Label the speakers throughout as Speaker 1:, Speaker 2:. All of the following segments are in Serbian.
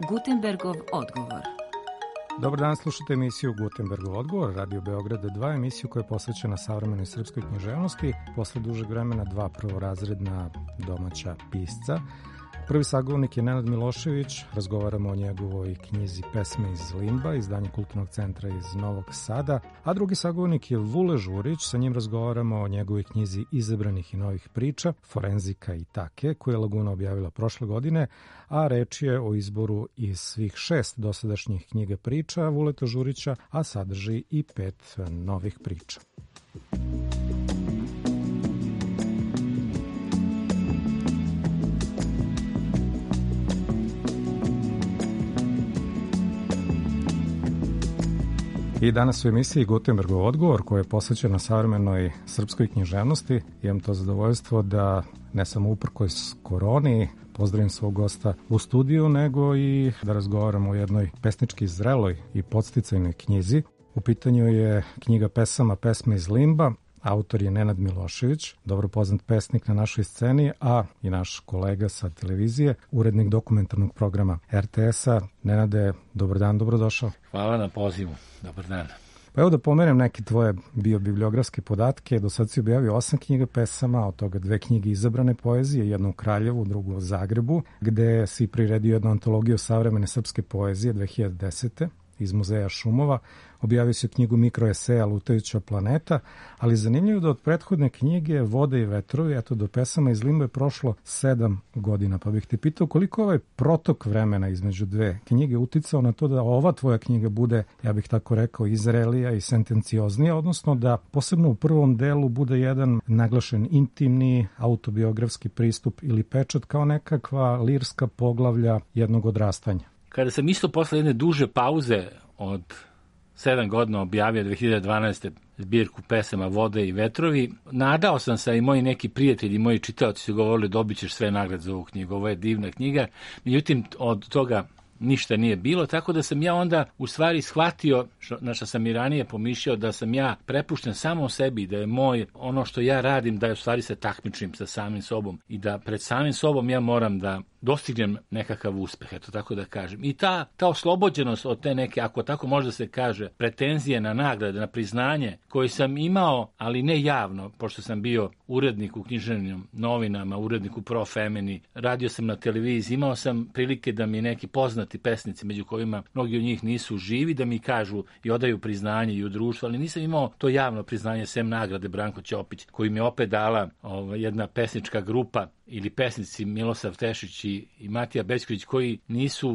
Speaker 1: Gutenbergov odgovor.
Speaker 2: Dobar dan, slušate emisiju Gutenbergov odgovor, Radio Beograda 2, emisiju koja je posvećena savremenoj srpskoj književnosti, posle dužeg vremena dva prvorazredna domaća pisca. Prvi sagovornik je Nenad Milošević, razgovaramo o njegovoj knjizi Pesme iz limba, izdanje Kulturnog centra iz Novog Sada, a drugi sagovornik je Vule Žurić, sa njim razgovaramo o njegovoj knjizi Izabranih i novih priča, Forenzika i take, koju je Laguna objavila prošle godine, a reč je o izboru iz svih 6 dosadašnjih knjiga priča Vuleta Žurića, a sadrži i 5 novih priča. I danas u emisiji Gutenbergov odgovor, koja je posvećena savremenoj srpskoj književnosti. Imam to zadovoljstvo da ne samo uprkos koroni pozdravim svog gosta u studiju, nego i da razgovaramo o jednoj pesnički zreloj i podsticajnoj knjizi. U pitanju je knjiga pesama Pesme iz limba. Autor je Nenad Milošević, dobro poznat pesnik na našoj sceni, a i naš kolega sa televizije, urednik dokumentarnog programa RTS-a. Nenade, dobar dan, dobrodošao.
Speaker 3: Hvala na pozivu, dobar dan.
Speaker 2: Pa evo da pomenem neke tvoje biobibliografske podatke. Do sad si objavio 8 knjiga pesama, od toga 2 knjige izabrane poezije, jednu u Kraljevu, drugu u Zagrebu, gde si priredio jednu antologiju savremene srpske poezije 2010. iz Muzeja šumova. Objavio si knjigu mikroeseja Lutajuća planeta, ali zanimljivo da od prethodne knjige Vode i vetrovi, eto do pesama iz limba je prošlo 7 godina. Pa bih te pitao koliko ovaj protok vremena između dve knjige uticao na to da ova tvoja knjiga bude, ja bih tako rekao, izrelija i sentencioznija, odnosno da posebno u prvom delu bude jedan naglašen intimni autobiografski pristup ili pečat kao nekakva lirska poglavlja jednog odrastanja.
Speaker 3: Kada sam isto posle jedne duže pauze od 7 godina objavio 2012. zbirku pesama Vode i vetrovi, nadao sam se i moji neki prijatelji, moji čitaoci su govorili dobit ćeš sve nagrade za ovu knjigu, ovo je divna knjiga, međutim od toga ništa nije bilo, tako da sam ja onda u stvari shvatio, na što sam i ranije pomišljao, da sam ja prepušten samo sebi, da je moj, ono što ja radim, da je u stvari se takmičim sa samim sobom i da pred samim sobom ja moram da dostignem nekakav uspeh, eto tako da kažem. I ta oslobođenost od te neke, ako tako može da se kaže, pretenzije na nagrade, na priznanje, koje sam imao, ali ne javno, pošto sam bio urednik u književnim novinama, urednik u Pro Femini, radio sam na televiziji, imao sam prilike da mi neki poznati pesnici, među kojima mnogi od njih nisu živi, da mi kažu i odaju priznanje i u društvu, ali nisam imao to javno priznanje, sem nagrade Branko Ćopić, koji mi je opet dala jedna pesnička grupa ili pesnici Milosav Tešić i Matija Bećković, koji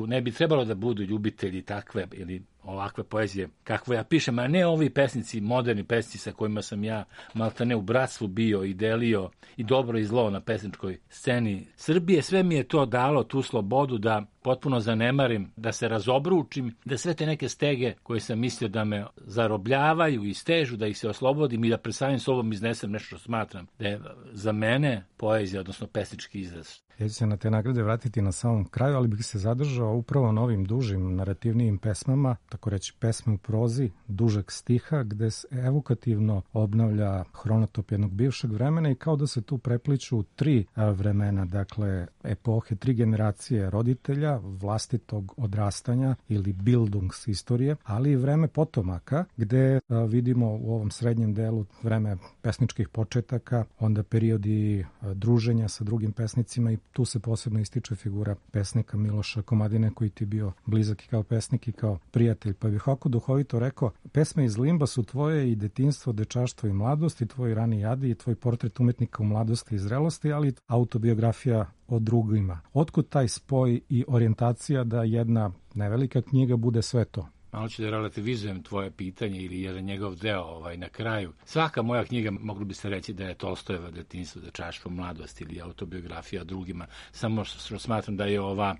Speaker 3: ne bi trebalo da budu ljubitelji takve ili ovakve poezije kakvo ja pišem, a ne ovi pesnici, moderni pesnici sa kojima sam ja maltene u bratstvu bio i delio i dobro i zlo na pesničkoj sceni Srbije. Sve mi je to dalo tu slobodu da potpuno zanemarim, da se razobručim, da sve te neke stege koje sam mislio da me zarobljavaju i stežu, da ih se oslobodim i da pred samim sobom iznesem nešto što smatram da je za mene poezija, odnosno pesnički izraz.
Speaker 2: Ja ću se na te nagrade vratiti na samom kraju, ali bih se zadržao upravo na ovim dužim narativnijim pesmama, tako reći pesme u prozi, dužeg stiha, gde se evokativno obnavlja hronotop jednog bivšeg vremena i kao da se tu prepliču 3 vremena, dakle epohe, 3 generacije roditelja, vlastitog odrastanja ili Bildungsistorije, ali i vreme potomaka, gde vidimo u ovom srednjem delu vreme pesničkih početaka, onda periodi druženja sa drugim pesnicima i tu se posebno ističe figura pesnika Miloša Komadine, koji ti bio blizak i kao pesnik i kao prijatelj. Pa bih ovako duhovito rekao, pesme iz limba su tvoje i detinjstvo, dečaštvo i mladost i tvoj rani jadi i tvoj portret umetnika u mladosti i zrelosti, ali autobiografija o drugima. Otkud taj spoj i orijentacija da jedna nevelika knjiga bude sve to?
Speaker 3: Malo ću da relativizujem tvoje pitanje ili jedan njegov deo na kraju. Svaka moja knjiga, moglo bi se reći da je Tolstojeva detinjstvo, dečaštvo, mladost ili autobiografija o drugima. Samo što smatram da je ova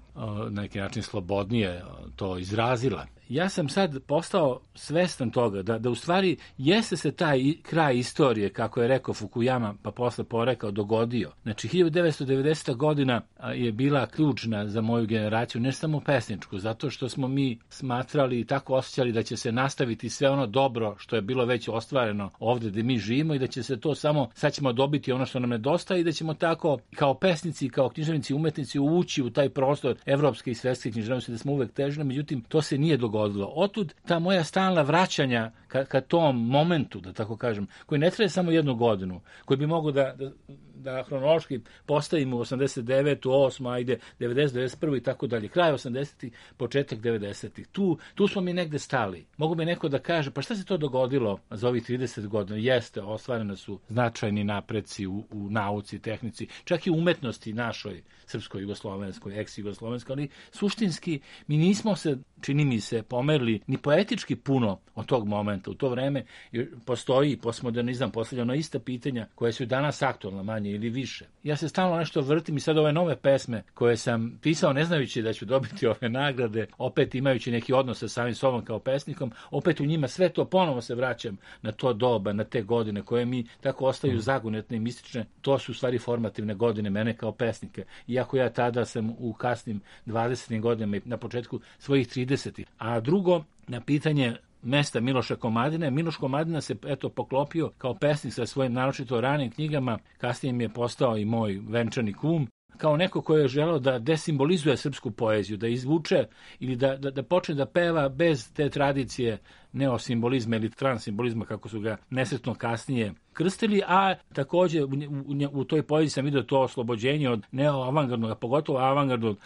Speaker 3: na neki način slobodnije to izrazila. ja sam sad postao svestan toga da u stvari jeste se taj kraj istorije, kako je rekao Fukuyama, pa posle porekao, dogodio. Znači, 1990. godina je bila ključna za moju generaciju, ne samo pesničku, zato što smo mi smatrali i tako osjećali da će se nastaviti sve ono dobro što je bilo već ostvareno ovde gde mi živimo i da će se to samo, sad ćemo dobiti ono što nam nedostaje i da ćemo tako kao pesnici, kao književnici, umetnici ući u taj prostor evropske i svetske književnosti, da smo uvek težili, međutim to se nije dogodilo. Otud ta moja stalna vraćanja ka tom momentu, da tako kažem, koji ne traje samo jednu godinu, koji bi mogu da hronološki postavimo 89, 8, ajde 90, 91 i tako dalje, kraj 80-ih, početak 90-ih. Tu smo mi negde stali. Mogu bi neko da kaže, pa šta se to dogodilo za ovih 30 godina? Jeste, ostvarene su značajni napreci u nauci, tehnici, čak i umetnosti našoj, srpskoj, jugoslovenskoj, ex-jugoslovenskoj, ali suštinski mi nismo se, čini mi se, pomerili ni poetički puno od tog momenta. U to vreme postoji postmodernizam, postavljeno ista pitanja koje su danas aktualna, manje ili više. Ja se stalno nešto vrtim i sad ove nove pesme koje sam pisao ne znajući da ću dobiti ove nagrade, opet imajući neki odnos sa samim sobom kao pesnikom, opet u njima sve to ponovo se vraćam na to doba, na te godine koje mi tako ostaju zagonetne i mistične. To su u stvari formativne godine mene kao pesnike. Iako ja tada sam u kasnim 20. godinama i na početku svojih 30. A drugo, na pitanje mesta Miloša Komadine. Miloš Komadina se poklopio kao pesnik sa svojim naročito ranim knjigama, kasnije mi je postao i moj venčani kum, kao neko ko je želeo da desimbolizuje srpsku poeziju, da izvuče ili da počne da peva bez te tradicije neosimbolizma ili transimbolizma, kako su ga nesretno kasnije krstili, a takođe u toj poeziji sam vidio to oslobođenje od neoavangardnog, a pogotovo avangardnog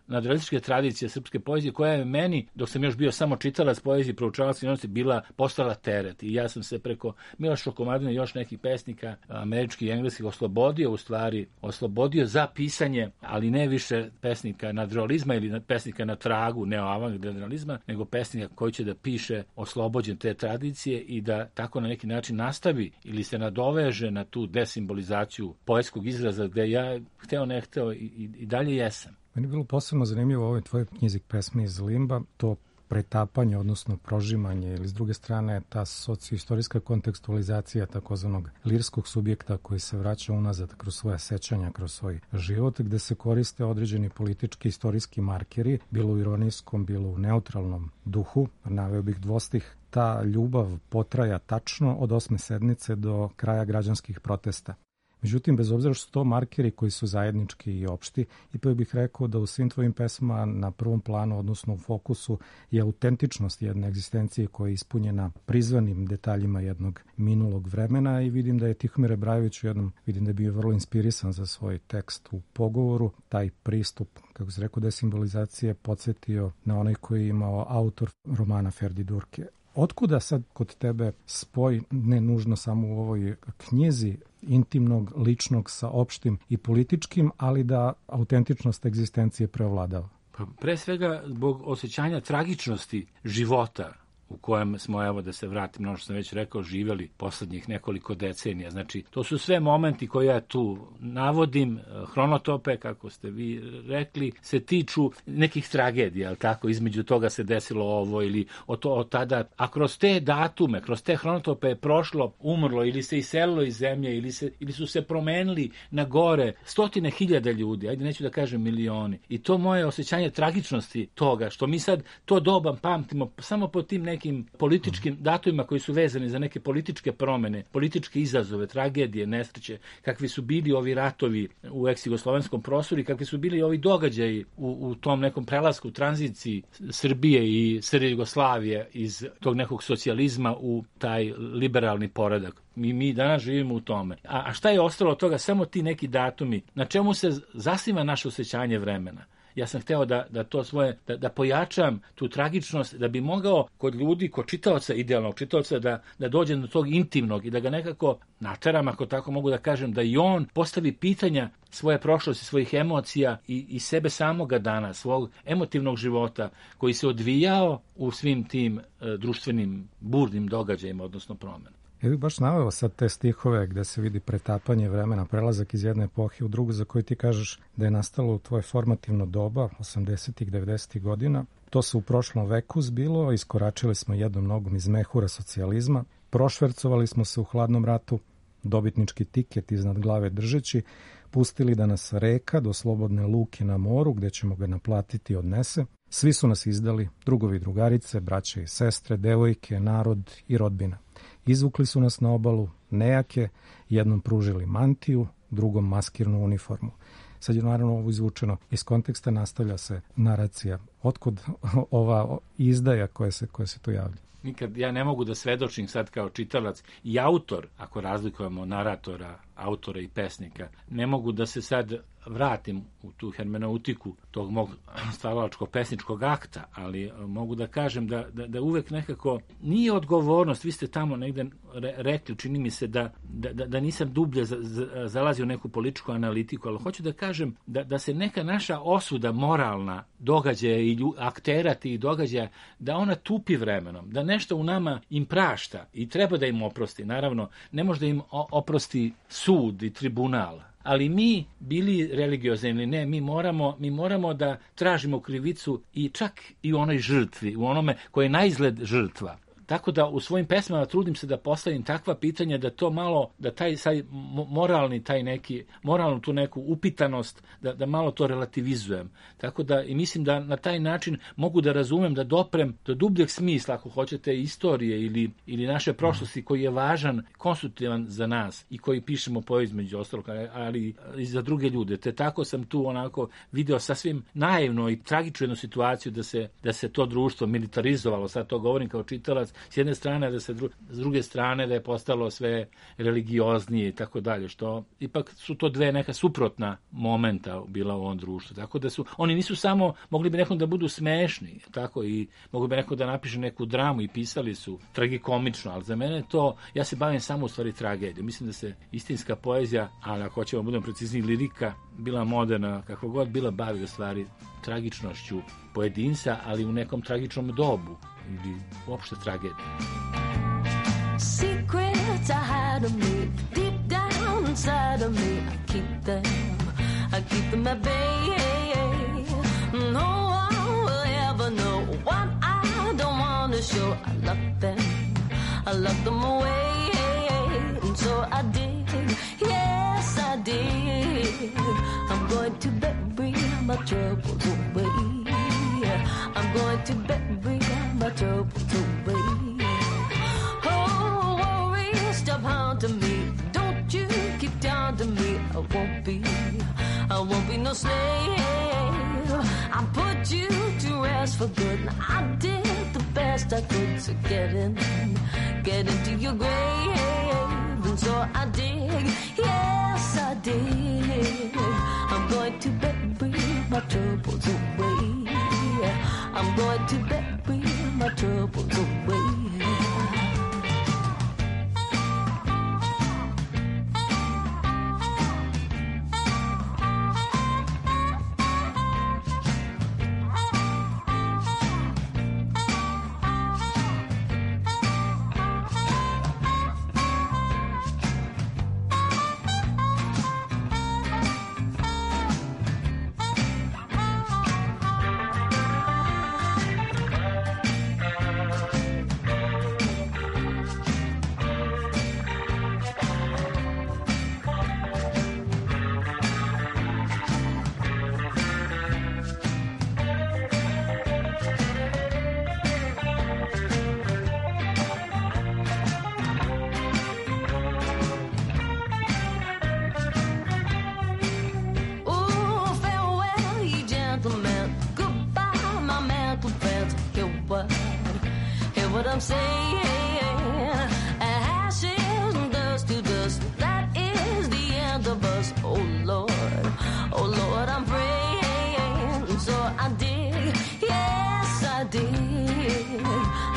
Speaker 3: nadrealističke tradicije srpske poezije, koja je meni, dok sam još bio samo čitalac poezije, proučavac književnosti, postala teret. I ja sam se preko Miloša Komadina i još nekih pesnika, američkih i engleskih, oslobodio za pisanje, ali ne više pesnika nadrealizma ili pesnika na tragu neoavangardnog, nego pesnika koji će da piše oslobođen te tradicije i da tako na neki način nastavi ili se nadoveže na tu desimbolizaciju poetskog izraza gde ja hteo ne hteo i dalje jesam.
Speaker 2: Meni je bilo posebno zanimljivo u ovoj tvojoj knjizi Pesme iz limba, to pretapanje, odnosno prožimanje, ili s druge strane ta socioistorijska kontekstualizacija takozvanog lirskog subjekta koji se vraća unazad kroz svoja sećanja, kroz svoj život, gde se koriste određeni politički istorijski markeri, bilo u ironijskom, bilo u neutralnom duhu. Naveo bih dvostih. Ta ljubav potraja tačno od 8. sednice do kraja građanskih protesta. Međutim, bez obzira što su to markeri koji su zajednički i opšti, ipak bih rekao da u svim tvojim pesmama na prvom planu, odnosno u fokusu, je autentičnost jedne egzistencije koja je ispunjena prizvanim detaljima jednog minulog vremena i vidim da je Tihomir Rebrajević vidim da je bio vrlo inspirisan za svoj tekst u Pogovoru. Taj pristup, kako se rekao, desimbolizacije podsjetio na onaj koji je imao autor romana Ferdi Durke. Otkuda sad kod tebe spoj, ne nužno samo u ovoj knjizi, intimnog, ličnog sa opštim i političkim, ali da autentičnost egzistencije preovladava?
Speaker 3: Pa pre svega zbog osjećanja tragičnosti života u kojem smo, evo da se vratim, ono što sam već rekao, živjeli poslednjih nekoliko decenija. Znači, to su sve momenti koje ja tu navodim, hronotope, kako ste vi rekli, se tiču nekih tragedija, ali tako, između toga se desilo ovo ili od tada, a kroz te datume, kroz te hronotope je prošlo, umrlo ili se iselilo iz zemlje ili su se promenili na gore 100.000 ljudi, ajde neću da kažem milioni. I to moje osjećanje tragičnosti toga, što mi sad to doba pamtimo samo po tim nekim političkim datumima koji su vezani za neke političke promene, političke izazove, tragedije, nesreće, kakvi su bili ovi ratovi u ex-jugoslovenskom prostoru i kakvi su bili ovi događaji u tom nekom prelasku, tranziciji Srbije i SR Jugoslavije iz tog nekog socijalizma u taj liberalni poredak. Mi danas živimo u tome. A šta je ostalo od toga? Samo ti neki datumi. Na čemu se zasniva naše osjećanje vremena? Ja sam hteo da to svoje, da pojačam tu tragičnost, da bi mogao kod ljudi, kod čitaoca, idealnog čitaoca, da dođe do tog intimnog i da ga nekako nateram, ako tako mogu da kažem, da i on postavi pitanja svoje prošlosti, svojih emocija i sebe samoga dana, svog emotivnog života koji se odvijao u svim tim društvenim burnim događajima, odnosno promenama.
Speaker 2: Ja bih baš naveo sad te stihove gde se vidi pretapanje vremena, prelazak iz jedne epohe u drugu, za koju ti kažeš da je nastalo u tvoje formativno doba, 80-ih, 90-ih godina. To se u prošlom veku zbilo, iskoračili smo jednom nogom iz mehura socijalizma, prošvercovali smo se u hladnom ratu, dobitnički tiket iznad glave držeći, pustili da nas reka do slobodne luke na moru, gde ćemo ga naplatiti odnese. Svi su nas izdali, drugovi i drugarice, braće i sestre, devojke, narod i rodbina. Izvukli su nas na obalu, nejake, jednom pružili mantiju, drugom maskirnu uniformu. Sad je naravno ovo izvučeno iz konteksta, nastavlja se naracija. Otkud ova izdaja koja se tu javlja?
Speaker 3: Nikad ja ne mogu da svedočim sad kao čitalac i autor, ako razlikujemo naratora, autora i pesnika, ne mogu da se sad vratim u tu hermeneutiku tog mog stvaralačkog pesničkog akta, ali mogu da kažem da uvek nekako nije odgovornost. Vi ste tamo negde rekli, čini mi se da nisam dublje zalazio u neku političku analitiku, ali hoću da kažem da se neka naša osuda moralna događaja i aktera tih događaja, da ona tupi vremenom, da nešto u nama im prašta i treba da im oprosti. Naravno, ne može da im oprosti sud i tribunal, ali mi, bili religiozni ili ne, mi moramo da tražimo krivicu i čak i u onoj žrtvi, u onome koji je naizgled žrtva. Tako da u svojim pesmama trudim se da postavim takva pitanja da to malo, da taj moralnu tu neku upitanost, da malo to relativizujem. Tako da i mislim da na taj način mogu da razumem, da doprem do dubljeg smisla, ako hoćete, istorije ili naše prošlosti, koji je važan, konstruktivan za nas i koji pišemo poeziju između ostalog, ali i za druge ljude. Te tako sam tu onako video sasvim naivno i tragičnu jednu situaciju da se to društvo militarizovalo, sad to govorim kao čitalac, s jedne strane, da se s druge strane da je postalo sve religioznije i tako dalje, što ipak su to dve neka suprotna momenta bila u ovom društvu. Tako da oni nisu samo, mogli bi nekom da budu smešni, tako, i mogli bi neko da napiše neku dramu i pisali su tragikomično, ali za mene to, ja se bavim samo u stvari tragedijom. Mislim da se istinska poezija, ali ako hoćemo budemo precizniji, lirika, bila moderna, kako god bila, bavi u stvari tragičnošću pojedinca, ali u nekom tragičnom dobu ili uopšte tragedije.
Speaker 4: Secrets I hide of me, deep down inside of me, I keep them at bay. No one will ever know what I don't want to show. I lock them away, and so I did, yes I did. I'm going to bury my troubles away. I'm going to bury my troubles away. Oh, worry, stop haunting me. Don't you keep down to me. I won't be no slave. I put you to rest for good. I did the best I could to get into your grave. And so I did, yes I did. I'm going to bury my troubles away. I'm going to bury my troubles away. I'm saying, ashes and dust to dust, that is the end of us. Oh Lord, I'm praying, so I did, yes I did.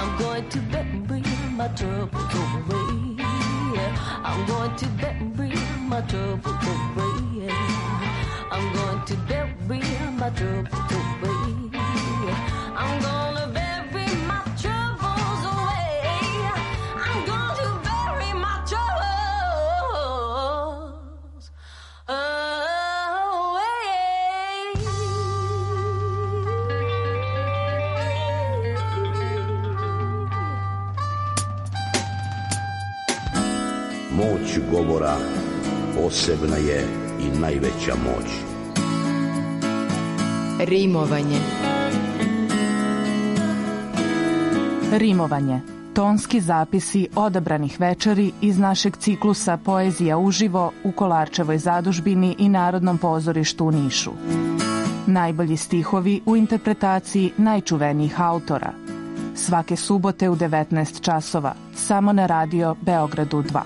Speaker 4: I'm going to bury my troubles away. I'm going to bury my troubles away. I'm going to bury my troubles away. I'm gonna bury my troubles away. I'm going to bury my troubles away.
Speaker 5: Moć govora posebna je i najveća moć.
Speaker 6: Rimovanje.
Speaker 7: Rimovanje. Tonski zapisi odabranih večeri iz našeg ciklusa Poezija uživo u Kolarčevoj zadužbini i Narodnom pozorištu u Nišu. Najbolji stihovi u interpretaciji najčuvenijih autora. Svake subote u 19 časova, samo na radio Beogradu 2.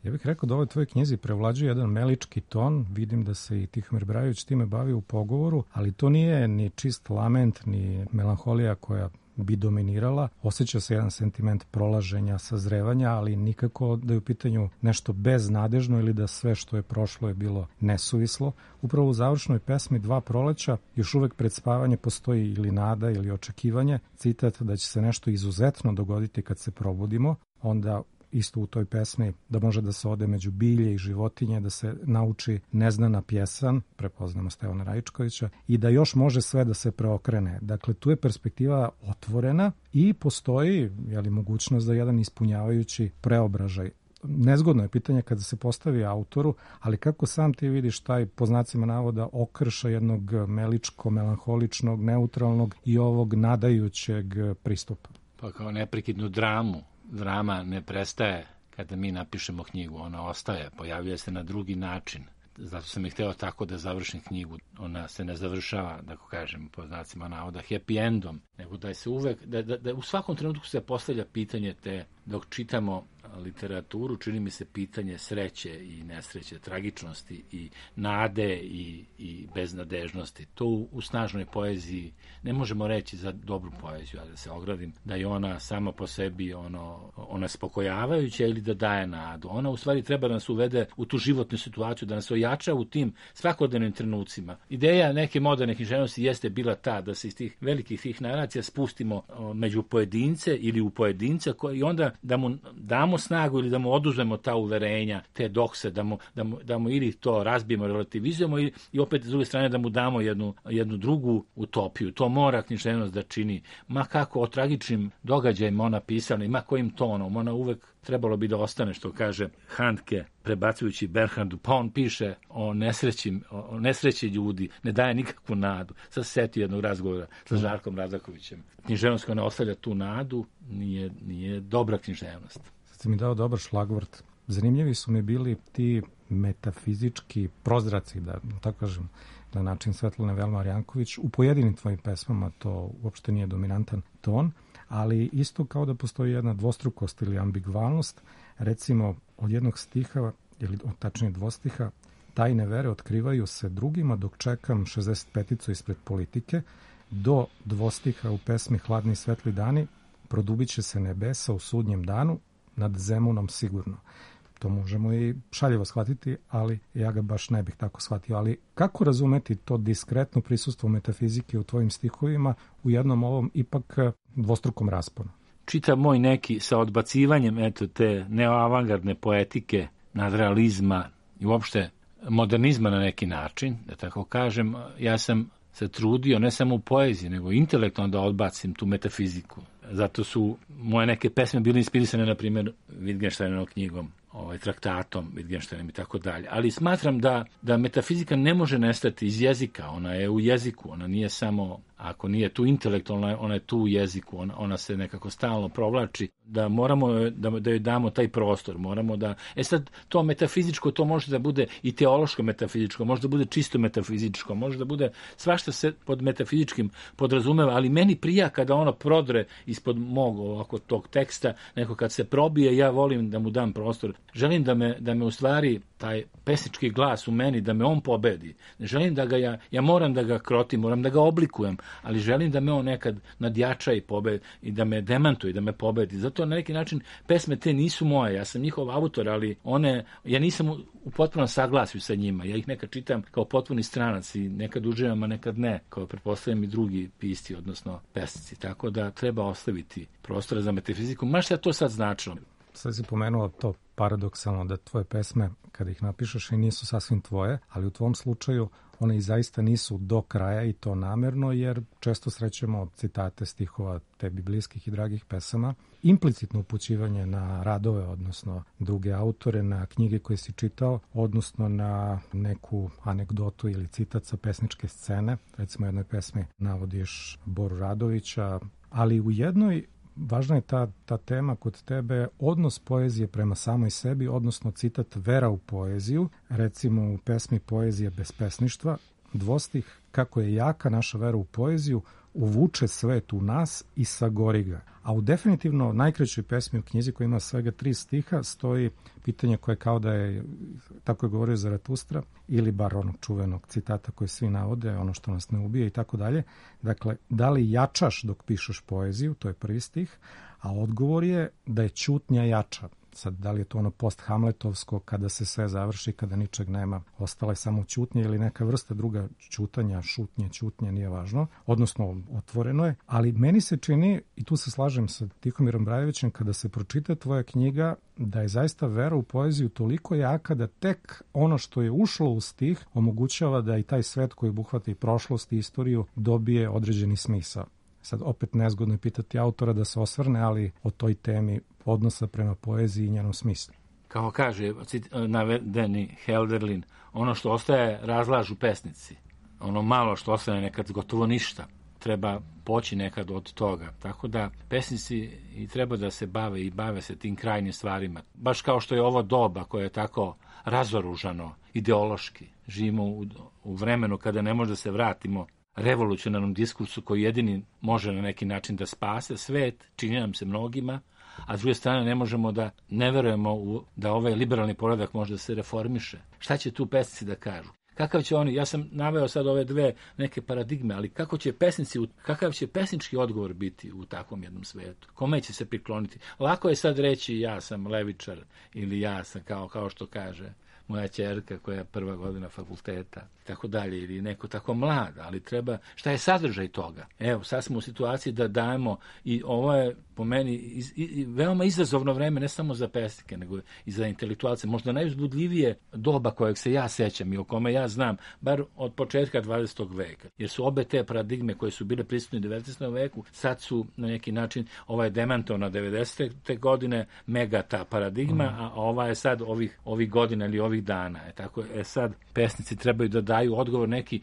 Speaker 2: Ja bih rekao da ovoj tvojoj knjizi prevlađuje jedan melički ton, vidim da se i Tihomir Brajović time bavi u pogovoru, ali to nije ni čist lament, ni melanholija koja bi dominirala. Osjeća se jedan sentiment prolaženja, sazrevanja, ali nikako da je u pitanju nešto beznadežno ili da sve što je prošlo je bilo nesuvislo. Upravo u završnoj pesmi Dva proleća još uvek pred spavanje postoji ili nada ili očekivanje, citat da će se nešto izuzetno dogoditi kad se probudimo, onda isto u toj pesmi da može da se ode među bilje i životinje, da se nauči neznana pjesan, prepoznamo Stevana Rajičkovića, i da još može sve da se preokrene. Dakle, tu je perspektiva otvorena i postoji mogućnost za jedan ispunjavajući preobražaj. Nezgodno je pitanje kada se postavi autoru, ali kako sam ti vidiš taj, po znacima navoda, okrša jednog meličko-melanholičnog, neutralnog i ovog nadajućeg pristupa?
Speaker 3: Pa kao neprekidnu dramu. Drama ne prestaje kada mi napišemo knjigu, ona ostaje, pojavljuje se na drugi način. Zato sam i hteo tako da završim knjigu. Ona se ne završava, da kažem, po znacima navoda, happy endom, nego da se uvek, da u svakom trenutku se postavlja pitanje te, dok čitamo literaturu, čini mi se pitanje sreće i nesreće, tragičnosti i nade i beznadežnosti. To u snažnoj poeziji ne možemo reći za dobru poeziju, a da se ogradim, da je ona sama po sebi ona spokojavajuća ili da daje nadu. Ona u stvari treba da nas uvede u tu životnu situaciju, da nas ojača u tim svakodnevnim trenucima. Ideja neke moderne književnosti jeste bila ta da se iz tih velikih tih naracija spustimo među pojedince ili u pojedinca i onda da mu damo snagu ili da mu oduzmemo ta uverenja, te dokse, da mu ili to razbijemo, relativizujemo i opet s druge strane da mu damo jednu drugu utopiju. To mora književnost da čini. Ma kako o tragičnim događajima ona pisala, ma kojim tonom, ona uvek trebalo bi da ostane, što kaže Handke, prebacujući Bernhardu, pa on piše o nesreći ljudi, ne daje nikakvu nadu. Sad se setio jednog razgovora sa Žarkom Radakovićem. Književnost koja ne ostavlja tu nadu nije dobra književnost.
Speaker 2: Sad si mi dao dobar šlagvort. Zanimljivi su mi bili ti metafizički prozraci, da tako kažem, na način Svetlane Velmar Janković. U pojedinim tvojim pesmama to uopšte nije dominantan ton, ali isto kao da postoji jedna dvostrukost ili ambigvalnost. Recimo, od jednog stiha, ili tačnije dvostiha, tajne vere otkrivaju se drugima dok čekam 65-icu ispred politike, do dvostiha u pesmi Hladni i svetli dani, produbit će se nebesa u sudnjem danu, nad Zemunom sigurno. To možemo i šaljivo shvatiti, ali ja ga baš ne bih tako shvatio. Ali kako razumeti to diskretno prisustvo metafizike u tvojim stihovima u jednom ovom ipak dvostrukom rasponu?
Speaker 3: Čitav moj neki sa odbacivanjem te neoavangardne poetike, nadrealizma i uopšte modernizma na neki način, da tako kažem, ja sam se trudio ne samo u poeziji, nego intelektualno da odbacim tu metafiziku. Zato su moje neke pesme bile inspirisane, na primjer, Wittgensteinovom knjigom, traktatom Wittgensteinom i tako dalje. Ali smatram da metafizika ne može nestati iz jezika. Ona je u jeziku, ona nije samo, ako nije tu intelektualna, ona je tu u jeziku, ona se nekako stalno provlači, da moramo da joj damo taj prostor, moramo da... sad, to metafizičko, to može da bude i teološko metafizičko, može da bude čisto metafizičko, može da bude svašta se pod metafizičkim podrazumeva, ali meni prija kada ono prodre ispod mog ovako tog teksta, neko kad se probije, ja volim da mu dam prostor. Želim da me u stvari taj pesnički glas u meni, da me on pobedi. Ne želim da ga ja moram da ga krotim, moram da ga oblikujem, ali želim da me on nekad nadjača i pobedi i da me demantuje, da me pobedi. Zato na neki način pesme te nisu moje, ja sam njihov autor, ali ja nisam u potpunom saglasju sa njima. Ja ih nekad čitam kao potpuni stranac i nekad uživam, a nekad ne, kao pretpostavljam i drugi pisci, odnosno pesnici. Tako da treba ostaviti prostora za metafiziku. Ma šta to sad značilo?
Speaker 2: Sad si pomenuo to paradoksalno da tvoje pesme, kada ih napišeš, i nisu sasvim tvoje, ali u tvom slučaju one i zaista nisu do kraja i to namerno, jer često srećemo citate stihova tebi bliskih i dragih pesama, implicitno upućivanje na radove, odnosno druge autore, na knjige koje si čitao, odnosno na neku anegdotu ili citat sa pesničke scene. Recimo u jednoj pesmi navodiš Boru Radovića, ali u jednoj važna je ta tema kod tebe, odnos poezije prema samoj sebi, odnosno citat vera u poeziju, recimo u pesmi Poezija bez pesništva, dvostih, kako je jaka naša vera u poeziju, uvuče svet u nas i sagori ga. A u definitivno najkraćoj pesmi u knjizi koja ima svega 3 stiha stoji pitanje koje kao da je, tako je govorio Zaratustra, ili bar onog čuvenog citata koje svi navode, ono što nas ne ubije i tako dalje. Dakle, da li jačaš dok pišeš poeziju, to je prvi stih, a odgovor je da je ćutnja jača. Sad, da li je to ono post-hamletovsko, kada se sve završi, kada ničeg nema, ostala je samo ćutnja ili neka vrsta druga ćutanja, šutnje, ćutnje, nije važno, odnosno otvoreno je, ali meni se čini, i tu se slažem sa Tihomirom Brajevićem, kada se pročita tvoja knjiga, da je zaista vera u poeziju toliko jaka da tek ono što je ušlo u stih omogućava da i taj svet koji obuhvata i prošlost i istoriju dobije određeni smisao. Sad, opet nezgodno je pitati autora da se osvrne, ali o toj temi odnosa prema poeziji i njenom smislu.
Speaker 3: Kao kaže navedeni Helderlin, ono što ostaje razlažu pesnici. Ono malo što ostane nekad gotovo ništa. Treba poći nekad od toga. Tako da pesnici i treba da se bave i bave se tim krajnjim stvarima. Baš kao što je ovo doba koje je tako razoružano ideološki. Živimo u vremenu kada ne može da se vratimo revolucionarnom diskursu koji jedini može na neki način da spase svet, čini nam se mnogima, a s druge strane ne možemo da ne verujemo da ovaj liberalni poredak može da se reformiše. Šta će tu pesnici da kažu? Kakav će oni, ja sam naveo sad ove dve neke paradigme, ali kakav će pesnički odgovor biti u takvom jednom svetu? Kome će se prikloniti? Lako je sad reći ja sam levičar ili ja sam kao što kaže moja ćerka koja je 1. godina fakulteta, tako dalje, ili neko tako mlad, ali treba, šta je sadržaj toga? Evo, sad smo u situaciji da dajemo, i ovo je po meni veoma izazovno vreme, ne samo za pesnike, nego i za intelektualce, možda najuzbudljivije doba kojeg se ja sećam i o kome ja znam, bar od početka 20. veka, jer su obe te paradigme koje su bile prisutne u 19. veku, sad su na neki način, ova je demantovana 90. godine, mega ta paradigma, a ova je sad ovih godina ili ovih dana. Sad pesnici trebaju da daju odgovor neki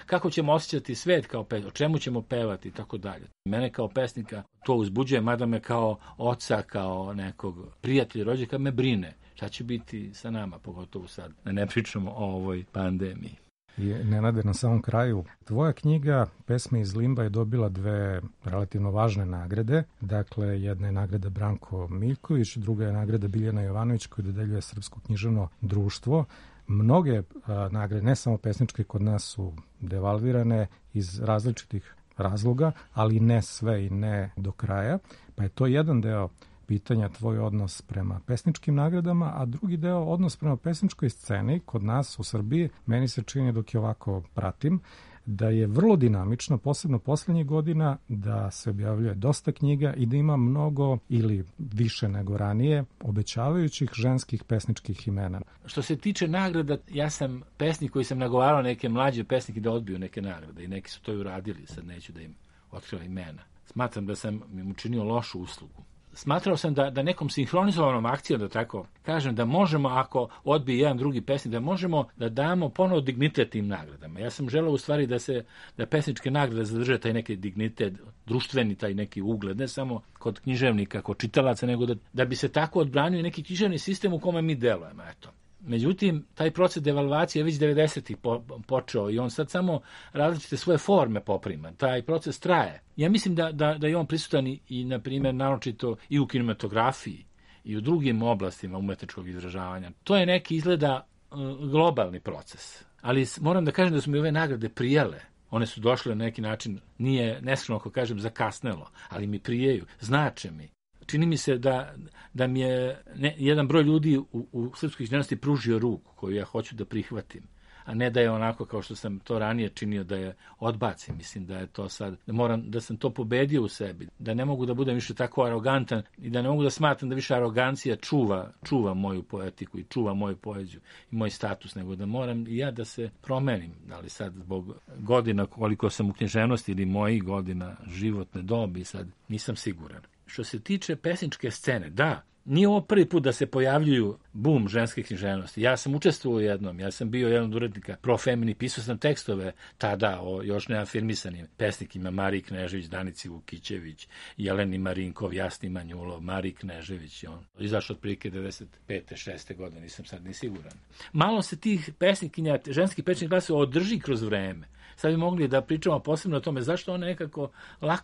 Speaker 3: kako ćemo osjećati svet kao pesnik, o čemu ćemo pevati i tako dalje. Mene kao pesnika to uzbuđuje, mada me kao oca, kao nekog prijatelja, rođaka me brine. Šta će biti sa nama, pogotovo sad, da ne pričamo o ovoj pandemiji.
Speaker 2: I Nenade, na samom kraju, tvoja knjiga Pesme iz limba je dobila 2 relativno važne nagrade. Dakle, jedna je nagrada Branko Miljković, druga je nagrada Biljana Jovanović koju dodeljuje Srpsko književno društvo. Mnoge nagrade, ne samo pesničke, kod nas su devalvirane iz različitih razloga, ali ne sve i ne do kraja. Pa je to jedan deo pitanja, tvoj odnos prema pesničkim nagradama, a drugi deo odnos prema pesničkoj sceni kod nas u Srbiji. Meni se čini, dok je ovako pratim, da je vrlo dinamično, posebno poslednjih godina, da se objavljuje dosta knjiga i da ima mnogo ili više nego ranije obećavajućih ženskih pesničkih imena.
Speaker 3: Što se tiče nagrada, ja sam pesnik koji sam nagovarao neke mlađe pesnike da odbiju neke nagrade i neki su to i uradili, sad neću da im otkrivam imena. Smatram da sam im učinio lošu uslugu. Smatrao sam da nekom sinhronizovanom akcijom, da tako kažem, da možemo, ako odbije jedan drugi pesnik, da možemo da damo ponovo dignitet tim nagradama. Ja sam želeo u stvari da pesničke nagrade zadrže taj neki dignitet, društveni taj neki ugled, ne samo kod književnika, kod čitalaca, nego da bi se tako odbranio neki književni sistem u kome mi delujemo. Eto. Međutim, taj proces devalvacije je već 90-ih počeo i on sad samo različite svoje forme poprima. Taj proces traje. Ja mislim da je on prisutan i na primjer, naročito i u kinematografiji i u drugim oblastima umetničkog izražavanja. To je neki izgleda globalni proces. Ali moram da kažem da su mi ove nagrade prijele. One su došle na neki način, nije neskromno ako kažem zakasnelo, ali mi prijeju, znače mi. Čini mi se da mi je jedan broj ljudi u srpskoj književnosti pružio ruku koju ja hoću da prihvatim. a ne da je onako kao što sam to ranije činio, da je odbacim. Mislim da je to sad, da sam to pobedio u sebi, da ne mogu da budem više tako arogantan i da ne mogu da smatram da više arogancija čuva moju poetiku i čuva moju poeziju i moj status, nego da moram i ja da se promenim, ali sad zbog godina koliko sam u književnosti ili mojih godina životne dobi, sad nisam siguran. Što se tiče pesničke scene, da, nije ovo prvi put da se pojavljuju bum ženske književnosti. Ja sam učestvovao u jednom, ja sam bio jedan od urednika Profemini, pisao sam tekstove tada o još neafirmisanim pesnikima, Mariji Knežević, Danici Vukićević, Jeleni Marinkov, Jasni Manjulov, Mariji Knežević, on izašao otprilike 95. 6. godine, nisam sad ni siguran. Malo se tih pesnikinja, ženskih pesničkih glasova održi kroz vreme. Sad bi mogli da pričamo posebno o tome zašto one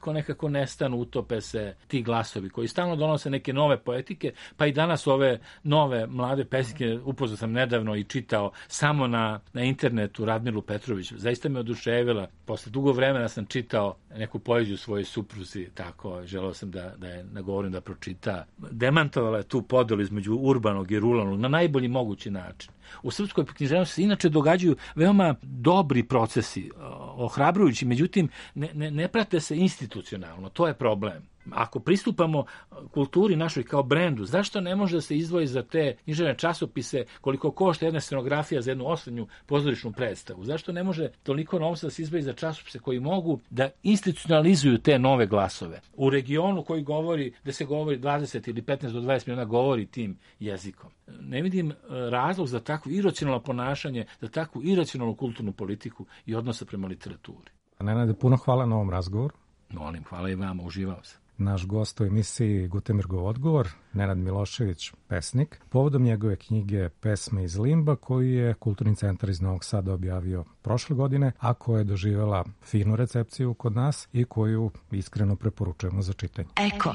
Speaker 3: nekako nestanu, utope se ti glasovi koji stalno donose neke nove poetike, pa i danas ove nove mlade pesnike, upoznao sam nedavno i čitao samo na internetu Radmilu Petrović. Zaista me oduševila. Posle dugo vremena sam čitao neku poeziju svojoj supruzi, tako, želeo sam da je nagovorim da pročita. Demantovala je tu podelu između urbanog i ruralnog na najbolji mogući način. U srpskoj književnosti se inače događaju veoma dobri procesi, ohrabrujući, međutim ne prate se institucionalno, to je problem. Ako pristupamo kulturi našoj kao brendu, zašto ne može da se izdvoji za te književne časopise koliko košta jedna scenografija za jednu osrednju pozorišnu predstavu? Zašto ne može toliko novca da se izdvoji za časopise koji mogu da institucionalizuju te nove glasove? U regionu koji govori, da se govori 20 ili 15 do 20 miliona govori tim jezikom. Ne vidim razlog za takvo iracionalno ponašanje, za takvu iracionalnu kulturnu politiku i odnosa prema literaturi.
Speaker 2: Nenade, puno hvala na ovom razgovoru.
Speaker 3: Molim, hvala i vama, uživao sam.
Speaker 2: Naš gost u emisiji Gutenbergov odgovor, Nenad Milošević, pesnik, povodom njegove knjige Pesme iz limba, koju je Kulturni centar iz Novog Sada objavio prošle godine, a koja je doživjela finu recepciju kod nas i koju iskreno preporučujemo za čitanje.
Speaker 1: Eko.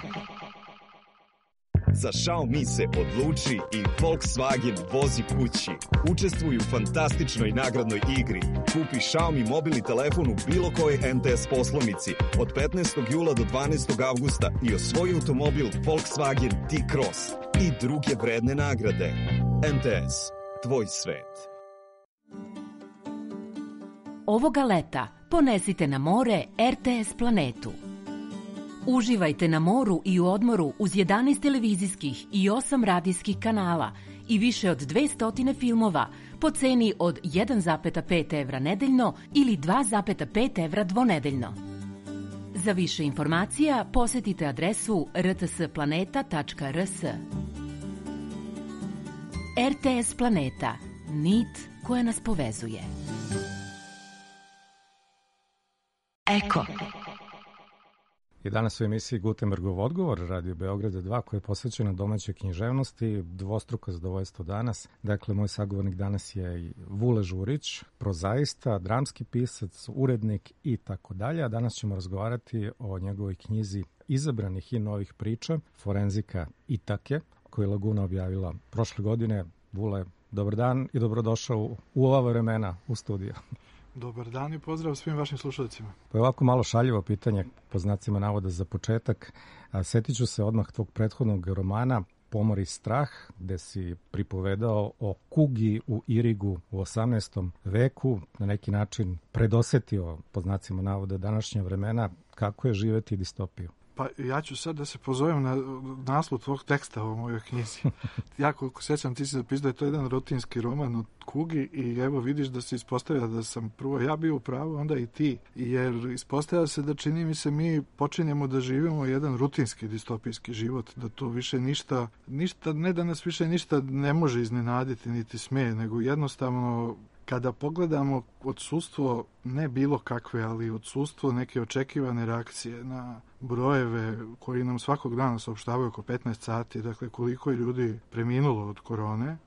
Speaker 6: Za Xiaomi se odluči i Volkswagen vozi kući. Učestvuj u fantastičnoj nagradnoj igri. Kupi Xiaomi mobilni telefon u bilo kojoj MTS poslovnici od 15. jula do 12. avgusta i osvoji automobil Volkswagen T-Cross i druge vredne nagrade. MTS, tvoj svet.
Speaker 1: Ovoga leta ponesite na more RTS planetu. Uživajte na moru i u odmoru uz 11 televizijskih i 8 radijskih kanala i više od 200 filmova po ceni od 1,5 evra nedeljno ili 2,5 evra dvonedeljno. Za više informacija posetite adresu rtsplaneta.rs. RTS Planeta. Nit koja nas povezuje. Eko.
Speaker 2: I danas u emisiji Gutenbergov odgovor, Radio Beograda 2, koja je posvećena domaćoj književnosti, dvostruko zadovoljstvo danas. Dakle, moj sagovornik danas je i Vule Žurić, prozaista, dramski pisac, urednik i tako dalje. A danas ćemo razgovarati o njegovoj knjizi izabranih i novih priča, Forenzika Itake, koju je Laguna objavila prošle godine. Vule, dobar dan i dobrodošao u ova vremena u studiju.
Speaker 8: Dobar dan i pozdrav svim vašim slušalicima.
Speaker 2: Pa je ovako malo šaljivo pitanje, po znacima navoda za početak. Setit ću se odmah tvog prethodnog romana Pomor i strah, gde si pripovedao o kugi u Irigu u 18. veku, na neki način predosetio, po znacima navoda, današnja vremena. Kako je živeti distopiju?
Speaker 8: Pa ja ću sad da se pozovem na naslov tvog teksta u mojoj knjizi. Ja koliko sećam, ti si zapisao da je to jedan rutinski roman od kugi i evo vidiš da se ispostavlja da sam prvo ja bio u pravu, onda i ti. Jer ispostavlja se da čini mi se mi počinjemo da živimo jedan rutinski distopijski život, da to više ništa, ne da nas više ništa ne može iznenaditi niti sme, nego jednostavno kada pogledamo odsustvo, ne bilo kakve, ali odsustvo neke očekivane reakcije na brojeve koji nam svakog dana saopštavaju oko 15 sati, dakle koliko je ljudi preminulo od korone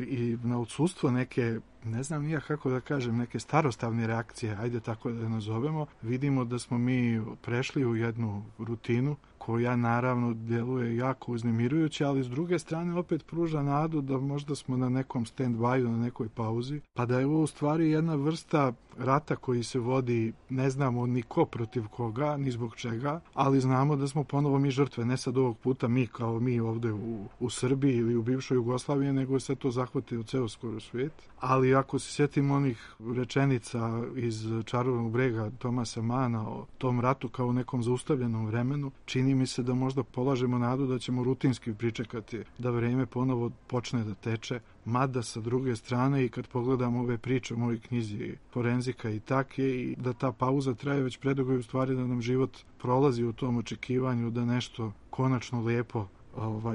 Speaker 8: i na odsustvo neke, ne znam nija kako da kažem, neke starostavne reakcije, ajde tako da je nazovemo, vidimo da smo mi prešli u jednu rutinu koja naravno djeluje jako uznemirujuće, ali s druge strane opet pruža nadu da možda smo na nekom stand-by, na nekoj pauzi, pa da je ovo u stvari jedna vrsta rata koji se vodi, ne znamo ni ko protiv koga, ni zbog čega, ali znamo da smo ponovo mi žrtve, ne sad ovog puta mi kao mi ovde u Srbiji ili u bivšoj Jugoslaviji, nego se to zahvati u ceo skoro svijet. Ali ako se sjetimo onih rečenica iz Čarobnog brega Tomasa Mana o tom ratu kao nekom zaustavljenom vremenu, čini mi se da možda polažemo nadu da ćemo rutinski pričekati da vreme ponovo počne da teče, mada sa druge strane i kad pogledamo ove priče u mojoj knjizi Forenzika i take, i da ta pauza traje već predugo i u stvari da nam život prolazi u tom očekivanju da nešto konačno lijepo,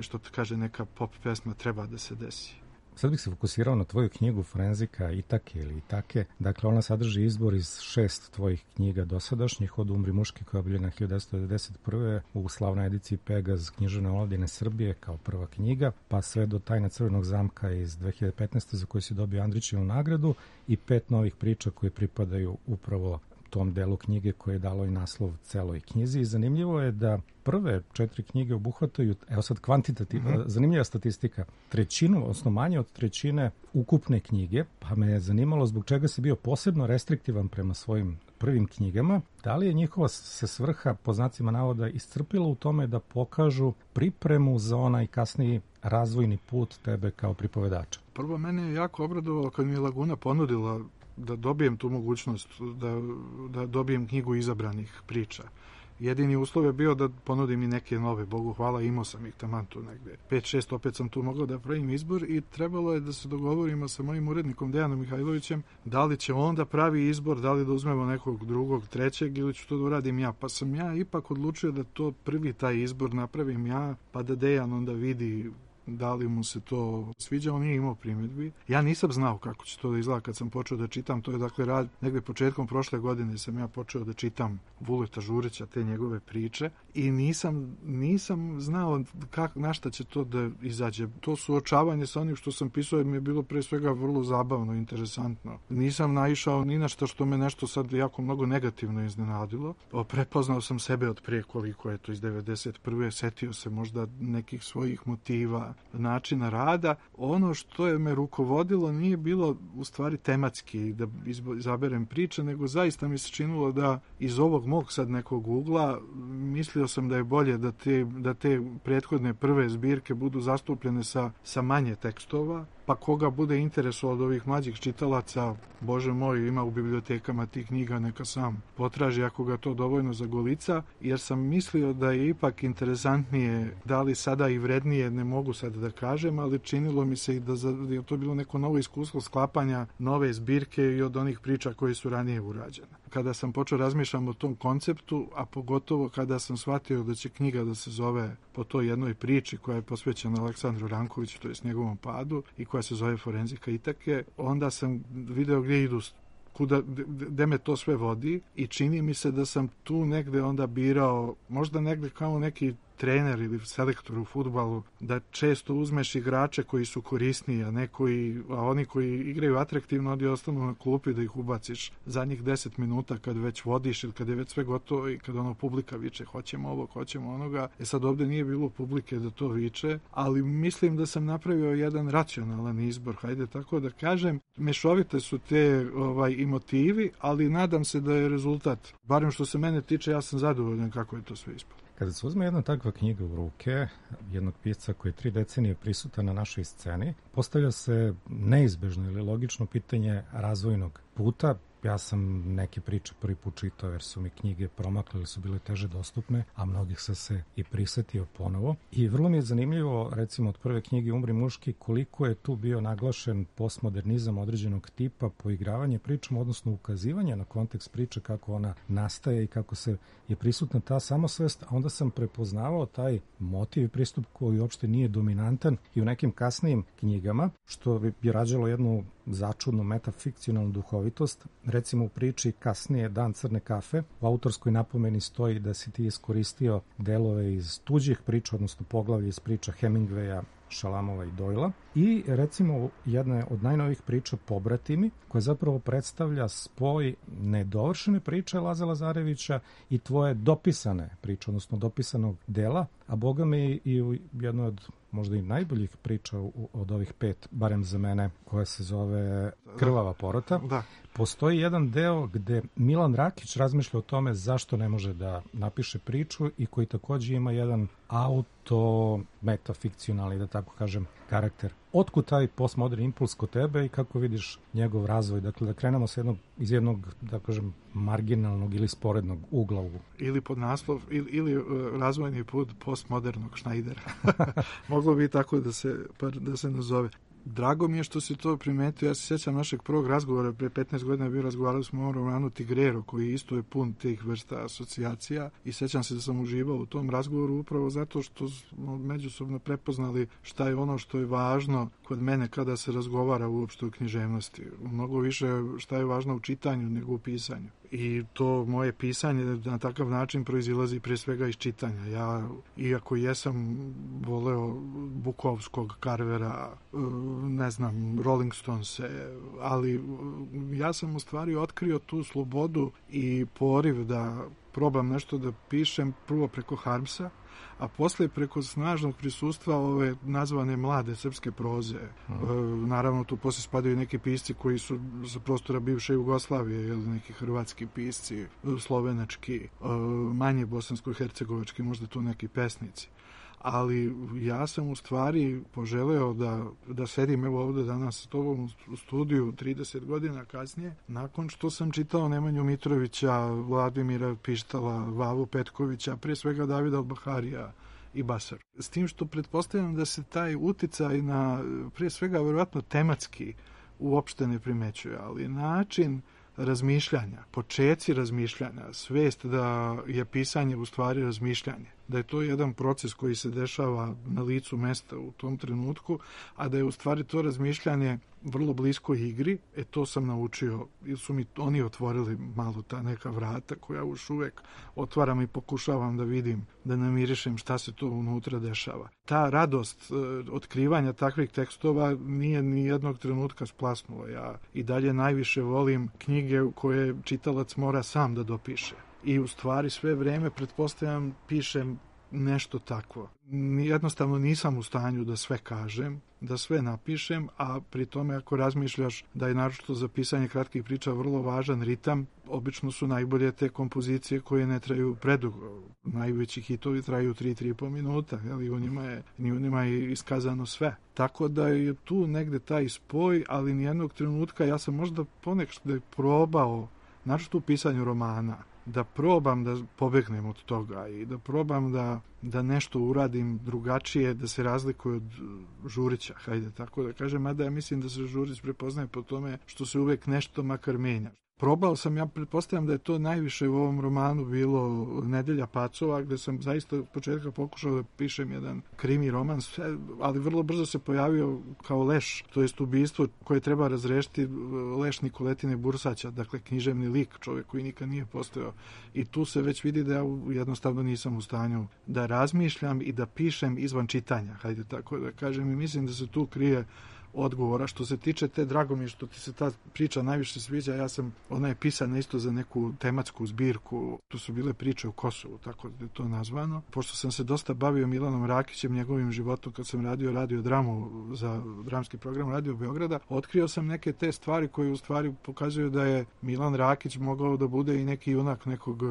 Speaker 8: što te kaže neka pop pesma, treba da se desi.
Speaker 2: Sad bih se fokusirao na tvoju knjigu Forenzika Itake ili Itake. Dakle, ona sadrži izbor iz 6 tvojih knjiga dosadašnjih, od Umri muški koja je objavljena 1991. u slavnoj ediciji Pegaz književne omladine Srbije kao prva knjiga, pa sve do Tajna crvenog zamka iz 2015. za koju si dobio Andrićevu nagradu i 5 novih priča koje pripadaju upravo tom delu knjige koje je dalo i naslov celoj knjizi. I zanimljivo je da prve 4 knjige obuhvataju, evo sad kvantitativno, zanimljiva statistika, trećinu, odnosno manje od trećine ukupne knjige, pa me je zanimalo zbog čega si bio posebno restriktivan prema svojim prvim knjigama. Da li je njihova se svrha, po znacima navoda, iscrpila u tome da pokažu pripremu za onaj kasniji razvojni put tebe kao pripovedača?
Speaker 8: Prvo, mene je jako obradovalo kad mi je Laguna ponudila da dobijem tu mogućnost, da dobijem knjigu izabranih priča. Jedini uslov je bio da ponudim i neke nove, Bogu hvala, imao sam ih taman tu negde. 5-6, opet sam tu mogao da pravim izbor i trebalo je da se dogovorimo sa mojim urednikom Dejanom Mihajlovićem da li će on da pravi izbor, da li da uzmemo nekog drugog, trećeg ili ću to da uradim ja. Pa sam ja ipak odlučio da to prvi taj izbor napravim ja, pa da Dejan onda vidi da li mu se to sviđa. On nije imao primjedbi. Ja nisam znao kako će to da izgleda kad sam počeo da čitam. To je dakle rad, negde početkom prošle godine sam ja počeo da čitam Vuleta Žurića, te njegove priče, i nisam znao na šta će to da izađe. To suočavanje sa onim što sam pisao mi je bilo pre svega vrlo zabavno, interesantno. Nisam naišao ni na što me nešto sad jako mnogo negativno iznenadilo. Prepoznao sam sebe od prije koliko je to iz 91. Setio se možda nekih svojih motiva, načina rada. Ono što je me rukovodilo nije bilo u stvari tematski da izaberem priče, nego zaista mi se činilo da iz ovog mog sad nekog ugla mislio sam da je bolje da te prethodne prve zbirke budu zastupljene sa manje tekstova, pa koga bude interesovao od ovih mlađih čitalaca, Bože moj, ima u bibliotekama tih knjiga, neka sam potraži ako ga to dovoljno zagolica, jer sam mislio da je ipak interesantnije, da li sada i vrednije, ne mogu sad da kažem, ali činilo mi se i da je to bilo neko novo iskustvo sklapanja nove zbirke i od onih priča koje su ranije urađene. Kada sam počeo razmišljam o tom konceptu, a pogotovo kada sam shvatio da će knjiga da se zove po toj jednoj priči koja je posvećena Aleksandru Rankoviću, to je s njegovom padu, i koja se zove Forenzika Itake, onda sam video gdje idu, gde me to sve vodi, i čini mi se da sam tu negde onda birao, možda negde kao neki trener ili selektor u fudbalu, da često uzmeš igrače koji su korisniji, a oni koji igraju atraktivno, oni ostanu na klupi da ih ubaciš zadnjih 10 minuta kad već vodiš ili kad je već sve gotovo i kad publika viče hoćemo ovo, hoćemo onoga. Sad ovde nije bilo publike da to viče, ali mislim da sam napravio jedan racionalan izbor, hajde tako da kažem. Mešovite su te i motivi, ali nadam se da je rezultat, barem što se mene tiče, ja sam zadovoljan kako je to sve ispalo.
Speaker 2: Kada se uzme jedna takva knjiga u ruke, jednog pisca koji je 3 decenije prisutan na našoj sceni, postavlja se neizbežno ili logično pitanje razvojnog puta. Ja sam neke priče prvi put čitao jer su mi knjige promakle ili su bile teže dostupne, a mnogih sam se i prisetio ponovo. I vrlo mi je zanimljivo, recimo od prve knjige Umri muški, koliko je tu bio naglašen postmodernizam određenog tipa, poigravanje pričama, odnosno ukazivanje na kontekst priče, kako ona nastaje i kako se je prisutna ta samosvest, a onda sam prepoznavao taj motiv i pristup koji uopšte nije dominantan i u nekim kasnijim knjigama, što bi rađalo jednu začudnu metafikcionalnu duhovitost. Recimo u priči kasnije Dan crne kafe, u autorskoj napomeni stoji da si ti iskoristio delove iz tuđih priča, odnosno poglavlje iz priča Hemingwaya, Šalamova i Doyla. I recimo jedna od najnovijih priča Pobratimi, koja zapravo predstavlja spoj nedovršene priče Laze Lazarevića i tvoje dopisane priče, odnosno dopisanog dela, a boga mi i u jednoj od možda i najboljih priča od ovih 5, barem za mene, koja se zove Krvava porota.
Speaker 8: Da.
Speaker 2: Postoji jedan deo gde Milan Rakić razmišlja o tome zašto ne može da napiše priču i koji takođe ima jedan metafikcionalni, da tako kažem, karakter. Otkud taj postmoderni impuls kod tebe i kako vidiš njegov razvoj? Dakle, da krenemo iz jednog, da kažem, marginalnog ili sporednog ugla.
Speaker 8: Ili pod naslov, ili razvojni put postmodernog Šnajdera. Moglo bi tako da se nazove. Drago mi je što si to primetio. Ja se sjećam našeg prvog razgovora, pre 15 godina bio razgovarali smo o romanu Tigrero, koji isto je pun tih vrsta asocijacija i sjećam se da sam uživao u tom razgovoru upravo zato što smo međusobno prepoznali šta je ono što je važno kod mene kada se razgovara uopšte o književnosti. Mnogo više šta je važno u čitanju nego u pisanju. I to moje pisanje na takav način proizilazi prije svega iz čitanja. Ja, iako jesam voleo Bukovskog, Carvera, ne znam, Rolling Stonese, ali ja sam u stvari otkrio tu slobodu i poriv da probam nešto da pišem prvo preko Harmsa, a posle preko snažnog prisustva ove nazvane mlade srpske proze. Naravno, tu posle spadaju neki pisci koji su sa prostora bivše Jugoslavije, ili neki hrvatski pisci, slovenački, manje bosansko-hercegovački, možda tu neki pesnici. Ali ja sam u stvari poželeo da sedim evo ovde danas s tobom u studiju 30 godina kasnije, nakon što sam čitao Nemanju Mitrovića, Vladimira Pištala, Vavu Petkovića, prije svega Davida Al-Baharija i Basar. S tim što pretpostavljam da se taj uticaj na, prije svega, verovatno tematski uopšte ne primećuje, ali način razmišljanja, počeci razmišljanja, svest da je pisanje u stvari razmišljanje, da je to jedan proces koji se dešava na licu mesta u tom trenutku, a da je u stvari to razmišljanje vrlo blisko igri, to sam naučio, ili su mi oni otvorili malo ta neka vrata koja još uvek otvaram i pokušavam da vidim, da namirišem šta se to unutra dešava. Ta radost otkrivanja takvih tekstova nije ni jednog trenutka splasnula. Ja i dalje najviše volim knjige koje čitalac mora sam da dopiše. I u stvari sve vreme, pretpostavljam, pišem nešto takvo. Jednostavno nisam u stanju da sve kažem, da sve napišem, a pri tome ako razmišljaš da je naročito za pisanje kratkih priča vrlo važan ritam, obično su najbolje te kompozicije koje ne traju predugo. Najveći hitovi traju 3-3,5 minuta, i u njima je iskazano sve. Tako da je tu negde taj spoj, ali nijednog trenutka ja sam možda ponekad probao, naročito u pisanju romana, da probam da pobegnem od toga i da probam da nešto uradim drugačije, da se razlikuje od Žurića, hajde tako da kažem, mada ja mislim da se Žurić prepoznaje po tome što se uvek nešto makar menja. Probao sam, ja pretpostavljam da je to najviše u ovom romanu bilo Nedelja pacova, gde sam zaista od početka pokušao da pišem jedan krimi roman, ali vrlo brzo se pojavio kao leš, to jest ubistvo koje treba razrešiti, leš Nikoletine Bursaća, dakle književni lik, čovjek koji nikad nije postojao. I tu se već vidi da ja jednostavno nisam u stanju da razmišljam i da pišem izvan čitanja, hajde tako da kažem, i mislim da se tu krije odgovora. Što se tiče drago mi je što ti se ta priča najviše sviđa, ona je pisana isto za neku tematsku zbirku, tu su bile priče o Kosovu, tako da je to nazvano. Pošto sam se dosta bavio Milanom Rakićem, njegovim životom, kad sam radio dramu za dramski program Radio Beograda, otkrio sam neke te stvari koje u stvari pokazuju da je Milan Rakić mogao da bude i neki junak nekog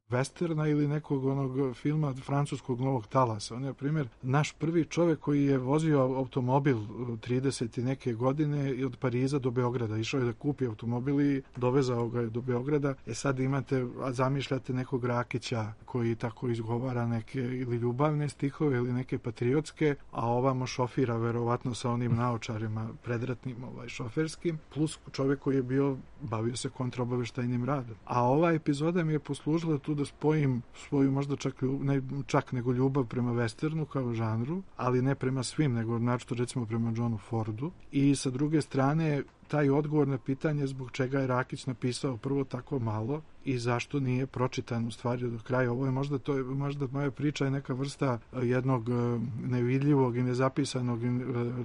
Speaker 8: westerna ili nekog onog filma francuskog Novog talasa. On je, na primjer, naš prvi čovjek koji je vozio automobil 30 i neke godine i od Pariza do Beograda. Išao je da kupi automobil i dovezao ga do Beograda. Sad imate, zamišljate nekog Rakića koji tako izgovara neke ili ljubavne stihove ili neke patriotske, a ovamo šofira verovatno sa onim naočarima predratnim šoferskim, plus čovjek koji je bavio se kontraobaveštajnim radom. A ova epizoda mi je poslužila tu da spojim svoju možda čak nego ljubav prema westernu kao žanru, ali ne prema svim, nego naročito recimo prema Johnu Fordu. I sa druge strane, taj odgovor na pitanje zbog čega je Rakić napisao prvo tako malo i zašto nije pročitan u stvari do kraja. Ovo je možda moja priča je neka vrsta jednog nevidljivog i nezapisanog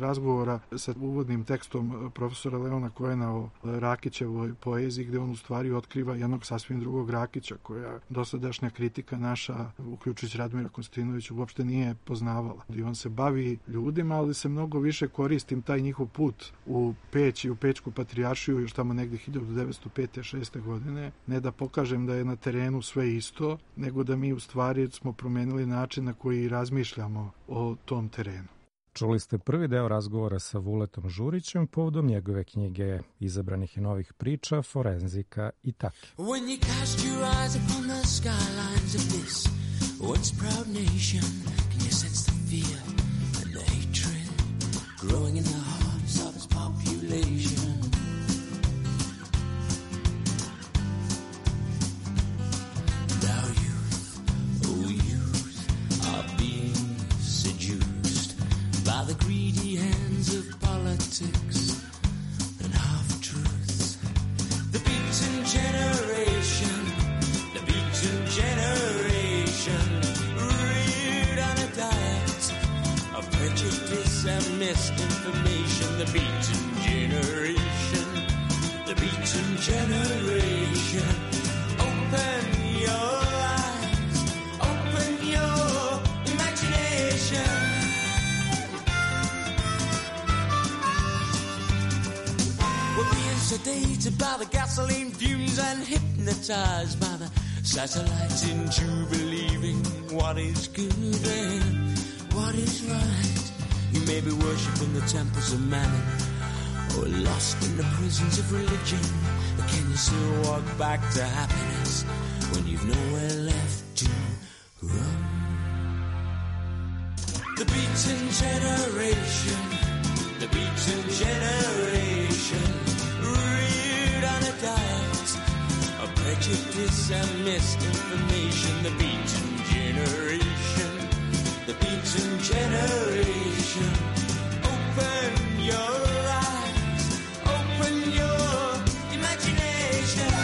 Speaker 8: razgovora sa uvodnim tekstom profesora Leona Koena o Rakićevoj poeziji, gde on u stvari otkriva jednog sasvim drugog Rakića, koja dosadašnja kritika naša, uključujući Radmira Konstantinovića, uopšte nije poznavala. I on se bavi ljudima, ali se mnogo više koristim taj njihov put u Peć i u Peć Grečku patrijaršiju još tamo negdje 1905. 6. godine, ne da pokažem da je na terenu sve isto, nego da mi u stvari smo promenili način na koji razmišljamo o tom terenu.
Speaker 2: Čuli ste prvi deo razgovora sa Vuletom Žurićem povodom njegove knjige Izabranih i novih priča, Forenzika i Take.
Speaker 9: When you cast your eyes upon the skylines of this once proud nation, can you sense the fear and the hatred growing in the hearts of its population? Now youth, oh youth, are being seduced by the greedy hands of politics and half-truths. The beaten generation, the beaten generation, reared on a diet of prejudice and misinformation. The beaten generation, the beaten generation, open your eyes, open your imagination. We're being sedated by the gasoline fumes and hypnotized by the satellites into believing what is good and what is right. You may be worshipping the temples of mammon or lost in the prisons of religion, but can you still walk back to happiness when you've nowhere left to run? The beaten generation, the beaten generation, reared on a diet of prejudice and misinformation. The beaten generation, the beaten generation, open your eyes, open your imagination.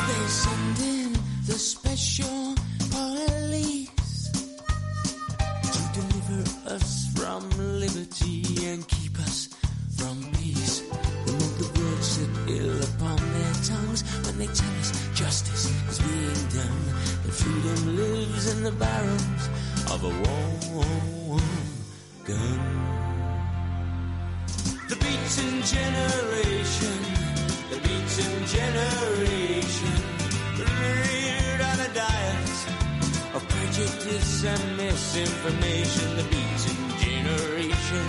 Speaker 9: They send in the special police to deliver us from liberty and keep us from peace. Remove the words that ill upon their tongues when they tell us justice is being done, that freedom lives in the barrels of a warm gun. The beaten generation, the beaten generation, reared on a diet of prejudice and misinformation. The beaten generation,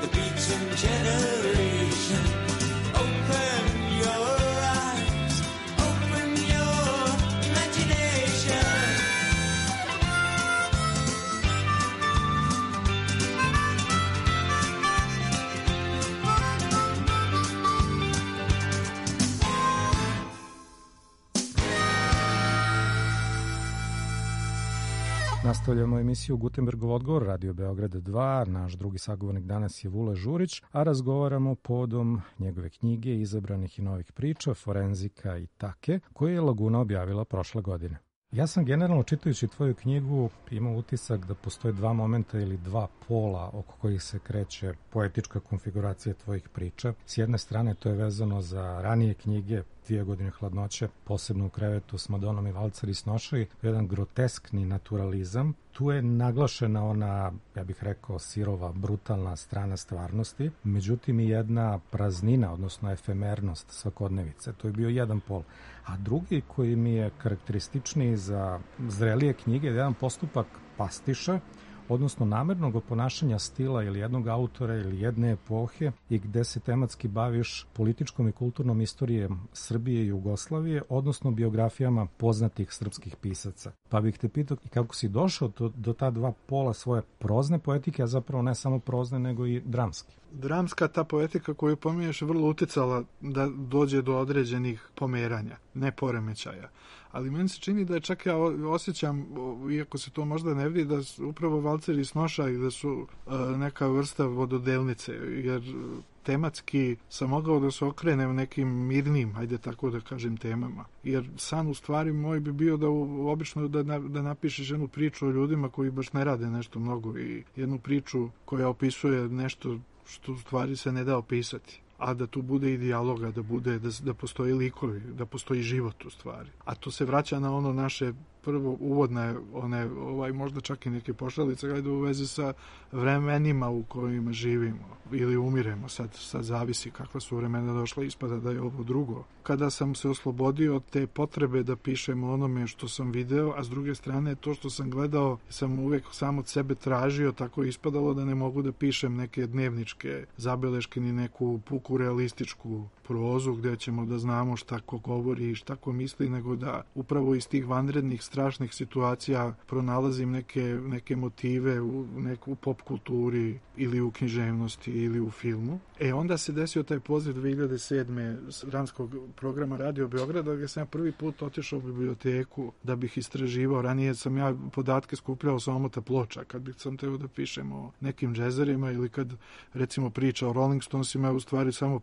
Speaker 9: the beaten generation, open your eyes, open your imagination.
Speaker 2: Nastavljamo emisiju Gutenbergov odgovor, Radio Beograd 2. Naš drugi sagovornik danas je Vule Žurić, a razgovaramo povodom njegove knjige Izabranih i novih priča, Forenzika i Take, koju je Laguna objavila prošle godine. Ja sam generalno, čitajući tvoju knjigu, imao utisak da postoje dva momenta ili dva pola oko kojih se kreće poetička konfiguracija tvojih priča. S jedne strane to je vezano za ranije knjige, 2 godine hladnoće, posebno u krevetu s Madonom i Valcar i Snošaj, jedan groteskni naturalizam. Tu je naglašena ona, ja bih rekao, sirova, brutalna strana stvarnosti, međutim i jedna praznina, odnosno efemernost svakodnevice. To je bio jedan pol. A drugi koji mi je karakterističniji za zrelije knjige je jedan postupak pastiša, odnosno namernog oponašanja stila ili jednog autora ili jedne epohe i gde se tematski baviš političkom i kulturnom istorijom Srbije i Jugoslavije, odnosno biografijama poznatih srpskih pisaca. Pa bih te pitao kako si došao do ta dva pola svoje prozne poetike, a zapravo ne samo prozne, nego i dramske.
Speaker 8: Dramska ta poetika koju pominješ je vrlo uticala da dođe do određenih pomeranja, ne poremećaja. Ali meni se čini da je čak ja osjećam, iako se to možda ne vidi, da su upravo Valcar i Snošaj da su neka vrsta vododelnice, jer tematski sam mogao da se okrene u nekim mirnim, ajde tako da kažem, temama. Jer san u stvari moj bi bio da obično da napišeš jednu priču o ljudima koji baš ne rade nešto mnogo i jednu priču koja opisuje nešto što u stvari se ne da opisati. a da tu bude i dijaloga, da postoji likovi, da postoji život u stvari. A to se vraća na ono naše prvo uvodne, možda čak i neke pošalice, gledaj u vezi sa vremenima u kojima živimo ili umiremo, sad zavisi kakva su vremena došla, ispada da je ovo drugo. Kada sam se oslobodio od te potrebe da pišem o onome što sam video, a s druge strane to što sam gledao sam uvek sam od sebe tražio, tako je ispadalo da ne mogu da pišem neke dnevničke zabeleške ni neku puku realističku prozu gdje ćemo da znamo šta ko govori i šta ko misli, nego da upravo iz tih vanrednih strašnih situacija pronalazim neke motive u pop kulturi ili u književnosti ili u filmu. Onda se desio taj poziv 2007. dramskog programa Radio Beograda, gdje sam ja prvi put otišao u biblioteku da bih istraživao. Ranije sam ja podatke skupljao sa omota ploča, kad bih sam teo da pišem o nekim džezerima ili kad recimo priča o Rolling Stonesima je u stvari samo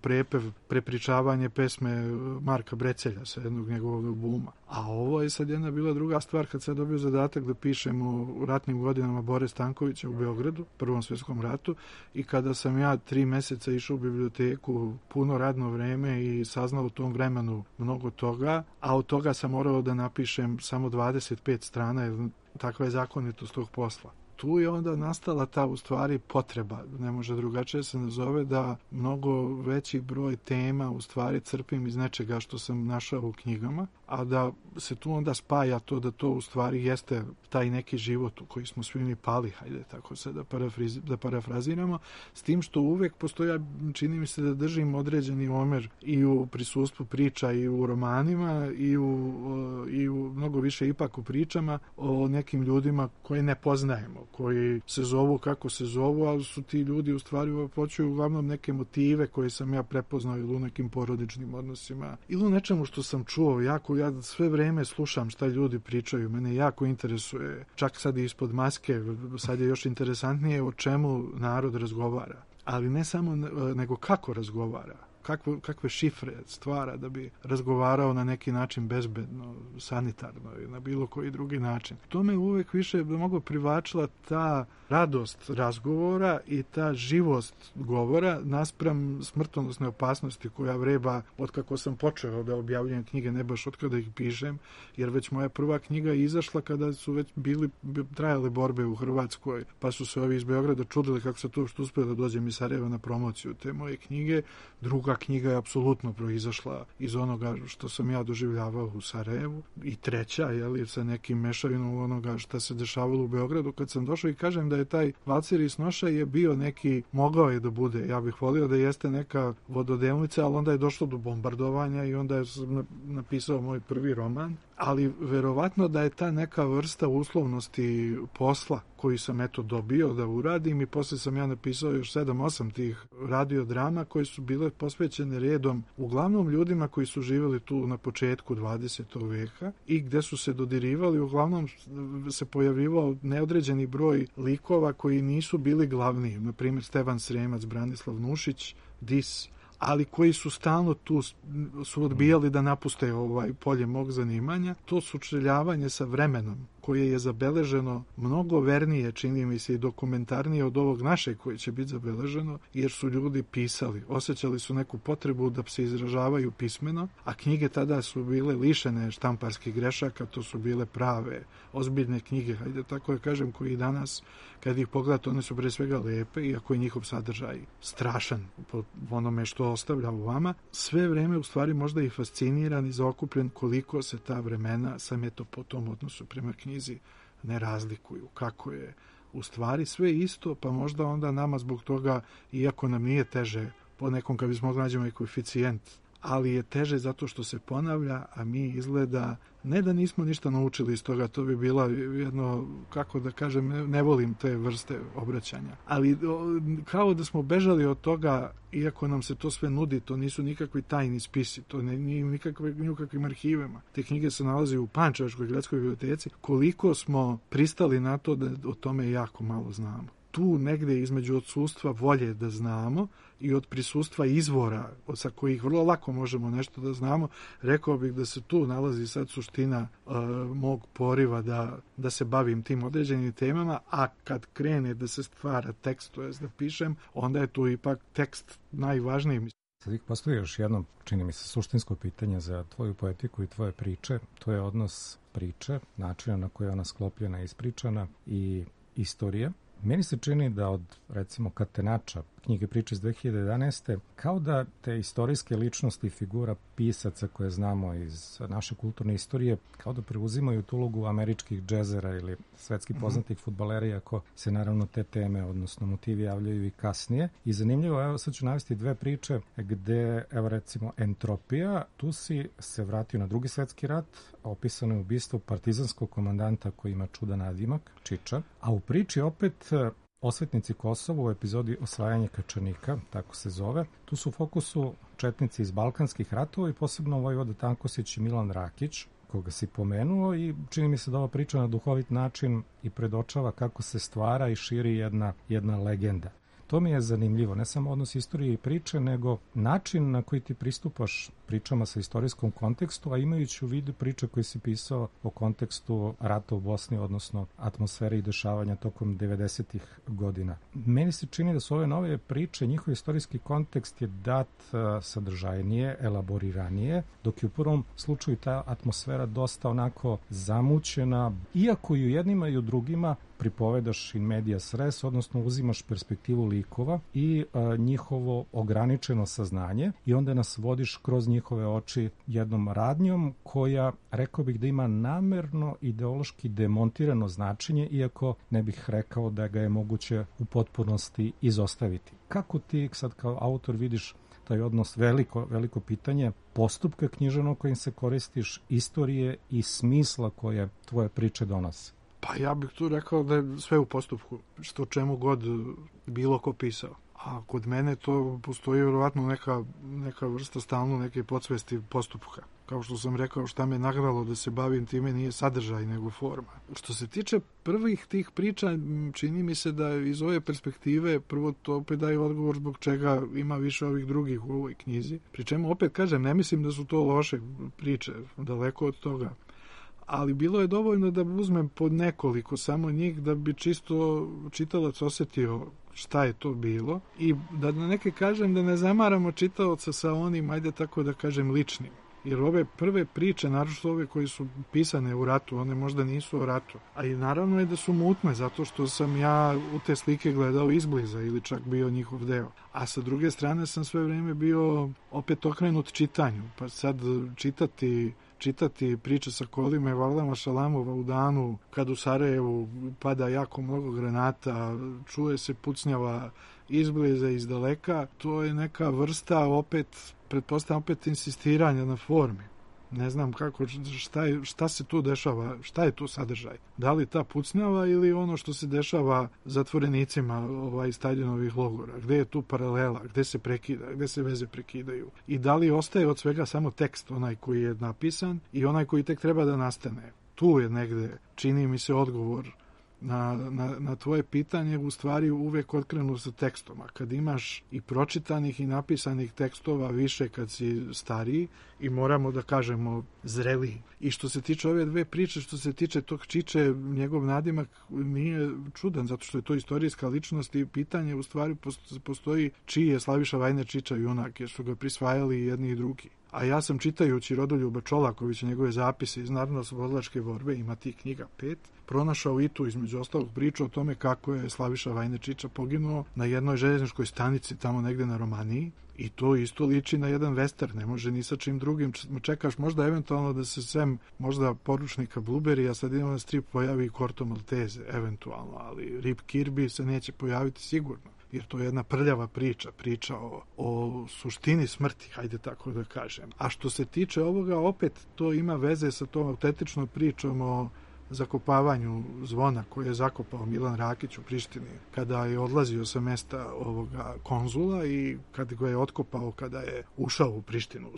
Speaker 8: prepričavanje pesme Marka Brecelja sa jednog njegovog albuma. A ovo je sad jedna bila druga stvar kad sam dobio zadatak da pišem o ratnim godinama Bore Stankovića u Beogradu, Prvom svjetskom ratu, i kada sam ja 3 meseca išao u biblioteku, puno radno vreme i saznao u tom vremenu mnogo toga, a od toga sam morao da napišem samo 25 strana, jer takva je zakonitost tog posla. Tu je onda nastala ta u stvari potreba, ne može drugačije se nazove, da mnogo veći broj tema u stvari crpim iz nečega što sam našao u knjigama, a da se tu onda spaja to da to u stvari jeste taj neki život u koji smo svi mi pali, hajde tako se da parafraziramo, s tim što uvek postoja, čini mi se da držim određeni omer i u prisustvu priča i u romanima i u mnogo više ipak u pričama o nekim ljudima koje ne poznajemo, koji se zovu kako se zovu, ali su ti ljudi u stvari uopćuju uglavnom neke motive koje sam ja prepoznao ili u nekim porodičnim odnosima ili u nečemu što sam čuo. Ja sve vreme slušam šta ljudi pričaju, mene jako interesuje, čak sad i ispod maske, sad je još interesantnije o čemu narod razgovara, ali ne samo nego kako razgovara. Kakve šifre stvara da bi razgovarao na neki način bezbedno, sanitarno i na bilo koji drugi način. To me uvek više mnogo privlačila ta radost razgovora i ta živost govora naspram smrtonosne opasnosti koja vreba od kako sam počeo da objavljujem knjige, ne baš od kada ih pišem, jer već moja prva knjiga je izašla kada su već trajale borbe u Hrvatskoj, pa su se ovi iz Beograda čudili kako se to što uspio da dođem iz Sarajeva na promociju te moje knjige. Druga knjiga je apsolutno proizašla iz onoga što sam ja doživljavao u Sarajevu i treća, sa nekim mešavinom onoga što se dešavalo u Beogradu kad sam došao i kažem da je taj Valcer iz Noša je bio neki, mogao je da bude, ja bih volio da jeste neka vododelnica, ali onda je došlo do bombardovanja i onda je napisao moj prvi roman, ali verovatno da je ta neka vrsta uslovnosti posla koji sam dobio da uradim i posle sam ja napisao još 7-8 tih radiodrama koje su bile posvećene redom uglavnom ljudima koji su živjeli tu na početku 20. veka i gde su se dodirivali, uglavnom se pojavivao neodređeni broj likova koji nisu bili glavni, na primjer Stevan Sremac, Branislav Nušić, Dis, ali koji su stalno tu, su odbijali da napuste polje mog zanimanja. To sučeljavanje sa vremenom koje je zabeleženo mnogo vernije, čini mi se, i dokumentarnije od ovog našeg koje će biti zabeleženo, jer su ljudi pisali, osjećali su neku potrebu da se izražavaju pismeno, a knjige tada su bile lišene štamparskih grešaka, to su bile prave, ozbiljne knjige, hajde tako da kažem, koji danas, kad ih pogledate, one su pre svega lepe, iako je njihov sadržaj strašan po onome što ostavlja u vama. Sve vreme, u stvari, možda i fasciniran i zaokupljen koliko se ta vremena, sam po tom odnosu prema knjizi, ne razlikuju, kako je u stvari sve isto, pa možda onda nama zbog toga, iako nam nije teže, po nekom kad bismo nađemo i koeficijent, ali je teže zato što se ponavlja, a mi izgleda ne da nismo ništa naučili iz toga, to bi bila jedno, kako da kažem, ne volim te vrste obraćanja, ali kao da smo bežali od toga, iako nam se to sve nudi, to nisu nikakvi tajni spisi, to nije nikakvim arhivima. Te knjige se nalaze u Pančevačkoj gradskoj biblioteci. Koliko smo pristali na to da o tome jako malo znamo. Tu negde između odsustva volje da znamo i od prisustva izvora sa kojih vrlo lako možemo nešto da znamo, rekao bih da se tu nalazi sad suština mog poriva da se bavim tim određenim temama, a kad krene da se stvara tekst, to jest da pišem, onda je tu ipak tekst najvažniji.
Speaker 2: Sad ih postoji još jedno, čini mi se, suštinsko pitanje za tvoju poetiku i tvoje priče. To je odnos priče, načina na koji je ona sklopljena i ispričana i istorije. Meni se čini da od, recimo, Katenača, knjige priče iz 2011. kao da te istorijske ličnosti i figura pisaca koje znamo iz naše kulturne istorije, kao da preuzimaju tu ulogu američkih džezera ili svetski poznatih fudbalera, iako se naravno te teme, odnosno motivi javljaju i kasnije. I zanimljivo, evo sad ću navesti dve priče gde, evo recimo, Entropija, tu si se vratio na Drugi svetski rat, opisano je ubistvo partizanskog komandanta koji ima čudan nadimak, Čiča, a u priči opet Osvetnici Kosovo u epizodi Osvajanje Kačanika, tako se zove. Tu su u fokusu četnici iz Balkanskih ratova i posebno Vojvoda Tankosić i Milan Rakić, koga si pomenuo, i čini mi se da ova priča na duhovit način i predočava kako se stvara i širi jedna legenda. To mi je zanimljivo, ne samo odnos istorije i priče, nego način na koji ti pristupaš pričama sa istorijskom kontekstu, a imajući u vidu priče koje si pisao o kontekstu rata u Bosni, odnosno atmosfere i dešavanja tokom 90-ih godina. Meni se čini da su ove nove priče, njihov istorijski kontekst je dat sadržajnije, elaboriranije, dok je u prvom slučaju ta atmosfera dosta onako zamućena, iako i u jednima i u drugima pripovedaš in medias res, odnosno uzimaš perspektivu likova i njihovo ograničeno saznanje i onda nas vodiš kroz njihove oči jednom radnjom koja, rekao bih da ima namerno ideološki demontirano značenje, iako ne bih rekao da ga je moguće u potpunosti izostaviti. Kako ti sad kao autor vidiš taj odnos, veliko pitanje postupka književnog kojim se koristiš, istorije i smisla koje tvoje priče donose?
Speaker 8: Pa ja bih tu rekao da je sve u postupku, što čemu god bilo ko pisao. A kod mene to postoji vjerovatno neka vrsta stalno neke podsvesti postupka. Kao što sam rekao, šta me nagralo da se bavim time nije sadržaj nego forma. Što se tiče prvih tih priča, čini mi se da iz ove perspektive prvo to opet daje odgovor zbog čega ima više ovih drugih u ovoj knjizi. Pri čemu opet kažem, ne mislim da su to loše priče, daleko od toga. Ali bilo je dovoljno da uzmem pod nekoliko samo njih da bi čisto čitalac osetio šta je to bilo i da na neke kažem da ne zamaramo čitaoca sa onim, ajde tako da kažem, ličnim. Jer ove prve priče, naročito ove koje su pisane u ratu, one možda nisu o ratu. A i naravno je da su mutne, zato što sam ja u te slike gledao izbliza ili čak bio njihov deo. A sa druge strane sam sve vreme bio opet okrenut čitanju. Pa sad čitati priče sa kolima Varlama Šalamova u danu kad u Sarajevu pada jako mnogo granata, čuje se pucnjava izbliza, izdaleka, to je neka vrsta pretpostavljam opet insistiranja na formi. Ne znam kako, šta se tu dešava, šta je tu sadržaj. Da li ta pucnjava ili ono što se dešava zatvorenicima Staljinovih logora? Gde je tu paralela, gde se prekida, gde se veze prekidaju? I da li ostaje od svega samo tekst, onaj koji je napisan i onaj koji tek treba da nastane? Tu je negde, čini mi se, odgovor na tvoje pitanje, u stvari uvek otkrenu sa tekstom. A kad imaš i pročitanih i napisanih tekstova više kad si stariji i moramo da kažemo zreliji. I što se tiče ove dve priče, što se tiče tog Čiče, njegov nadimak nije čudan, zato što je to istorijska ličnost i pitanje u stvari postoji čiji je Slaviša Vajne Čiča junak, jer su ga prisvajali jedni i drugi. A ja sam čitajući Rodoljuba Čolakovića, njegove zapise iz Narodnooslobodilačke borbe, ima tih knjiga 5, pronašao i tu između ostalog priču o tome kako je Slaviša Vajne Čiča poginuo na jednoj željezničkoj stanici tamo negde na Romaniji i to isto liči na jedan western, ne može ni sa čim drugim. Čekaš možda eventualno da se sem možda poručnika Blueberry, a sad idemo na strip pojavi i Corto Maltese, eventualno, ali Rip Kirby se neće pojaviti sigurno. Jer to je jedna prljava priča o suštini smrti, hajde tako da kažem. A što se tiče ovoga, opet to ima veze sa tom autentičnom pričom o zakopavanju zvona koje je zakopao Milan Rakić u Prištini kada je odlazio sa mesta ovoga konzula i kada ga je otkopao kada je ušao u Prištinu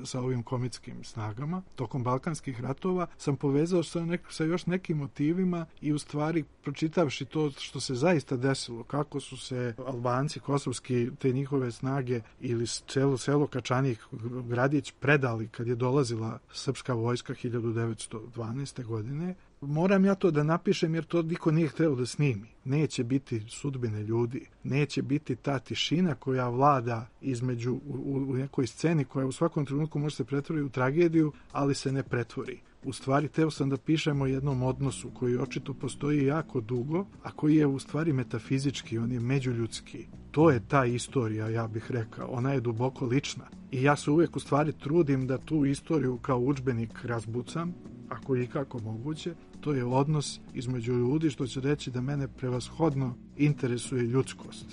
Speaker 8: sa ovim komitskim snagama tokom Balkanskih ratova, sam povezao sa još nekim motivima i u stvari pročitavši to što se zaista desilo, kako su se Albanci kosovski, te njihove snage ili selo Kačanik, gradić, predali kad je dolazila srpska vojska 1912. godine, moram ja to da napišem jer to niko nije hteo da snimi. Neće biti sudbine ljudi, neće biti ta tišina koja vlada između u nekoj sceni koja u svakom trenutku može se pretvoriti u tragediju, ali se ne pretvori. U stvari, teo sam da pišemo o jednom odnosu koji očito postoji jako dugo, a koji je u stvari metafizički, on je međuljudski. To je ta istorija, ja bih rekao. Ona je duboko lična. I ja se uvijek u stvari trudim da tu istoriju kao udžbenik razbucam, ako je ikako moguće. To je odnos između ljudi, što će reći da mene prevashodno interesuje ljudskost.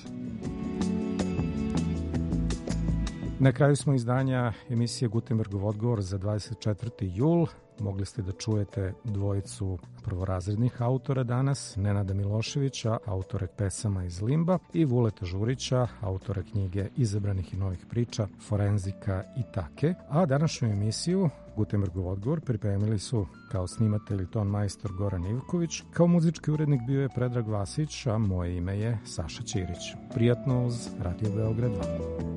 Speaker 2: Na kraju smo izdanja emisije Gutenbergov odgovor za 24. jul. Mogli ste da čujete dvojicu prvorazrednih autora danas, Nenada Miloševića, autore pesama iz Limba, i Vuleta Žurića, autora knjige Izabranih i novih priča, Forenzika i Take. A današnju emisiju Gutenbergov odgovor pripremili su kao snimatelj i ton majstor Goran Ivković, kao muzički urednik bio je Predrag Vasić, a moje ime je Saša Ćirić. Prijatno uz Radio Beograd 2.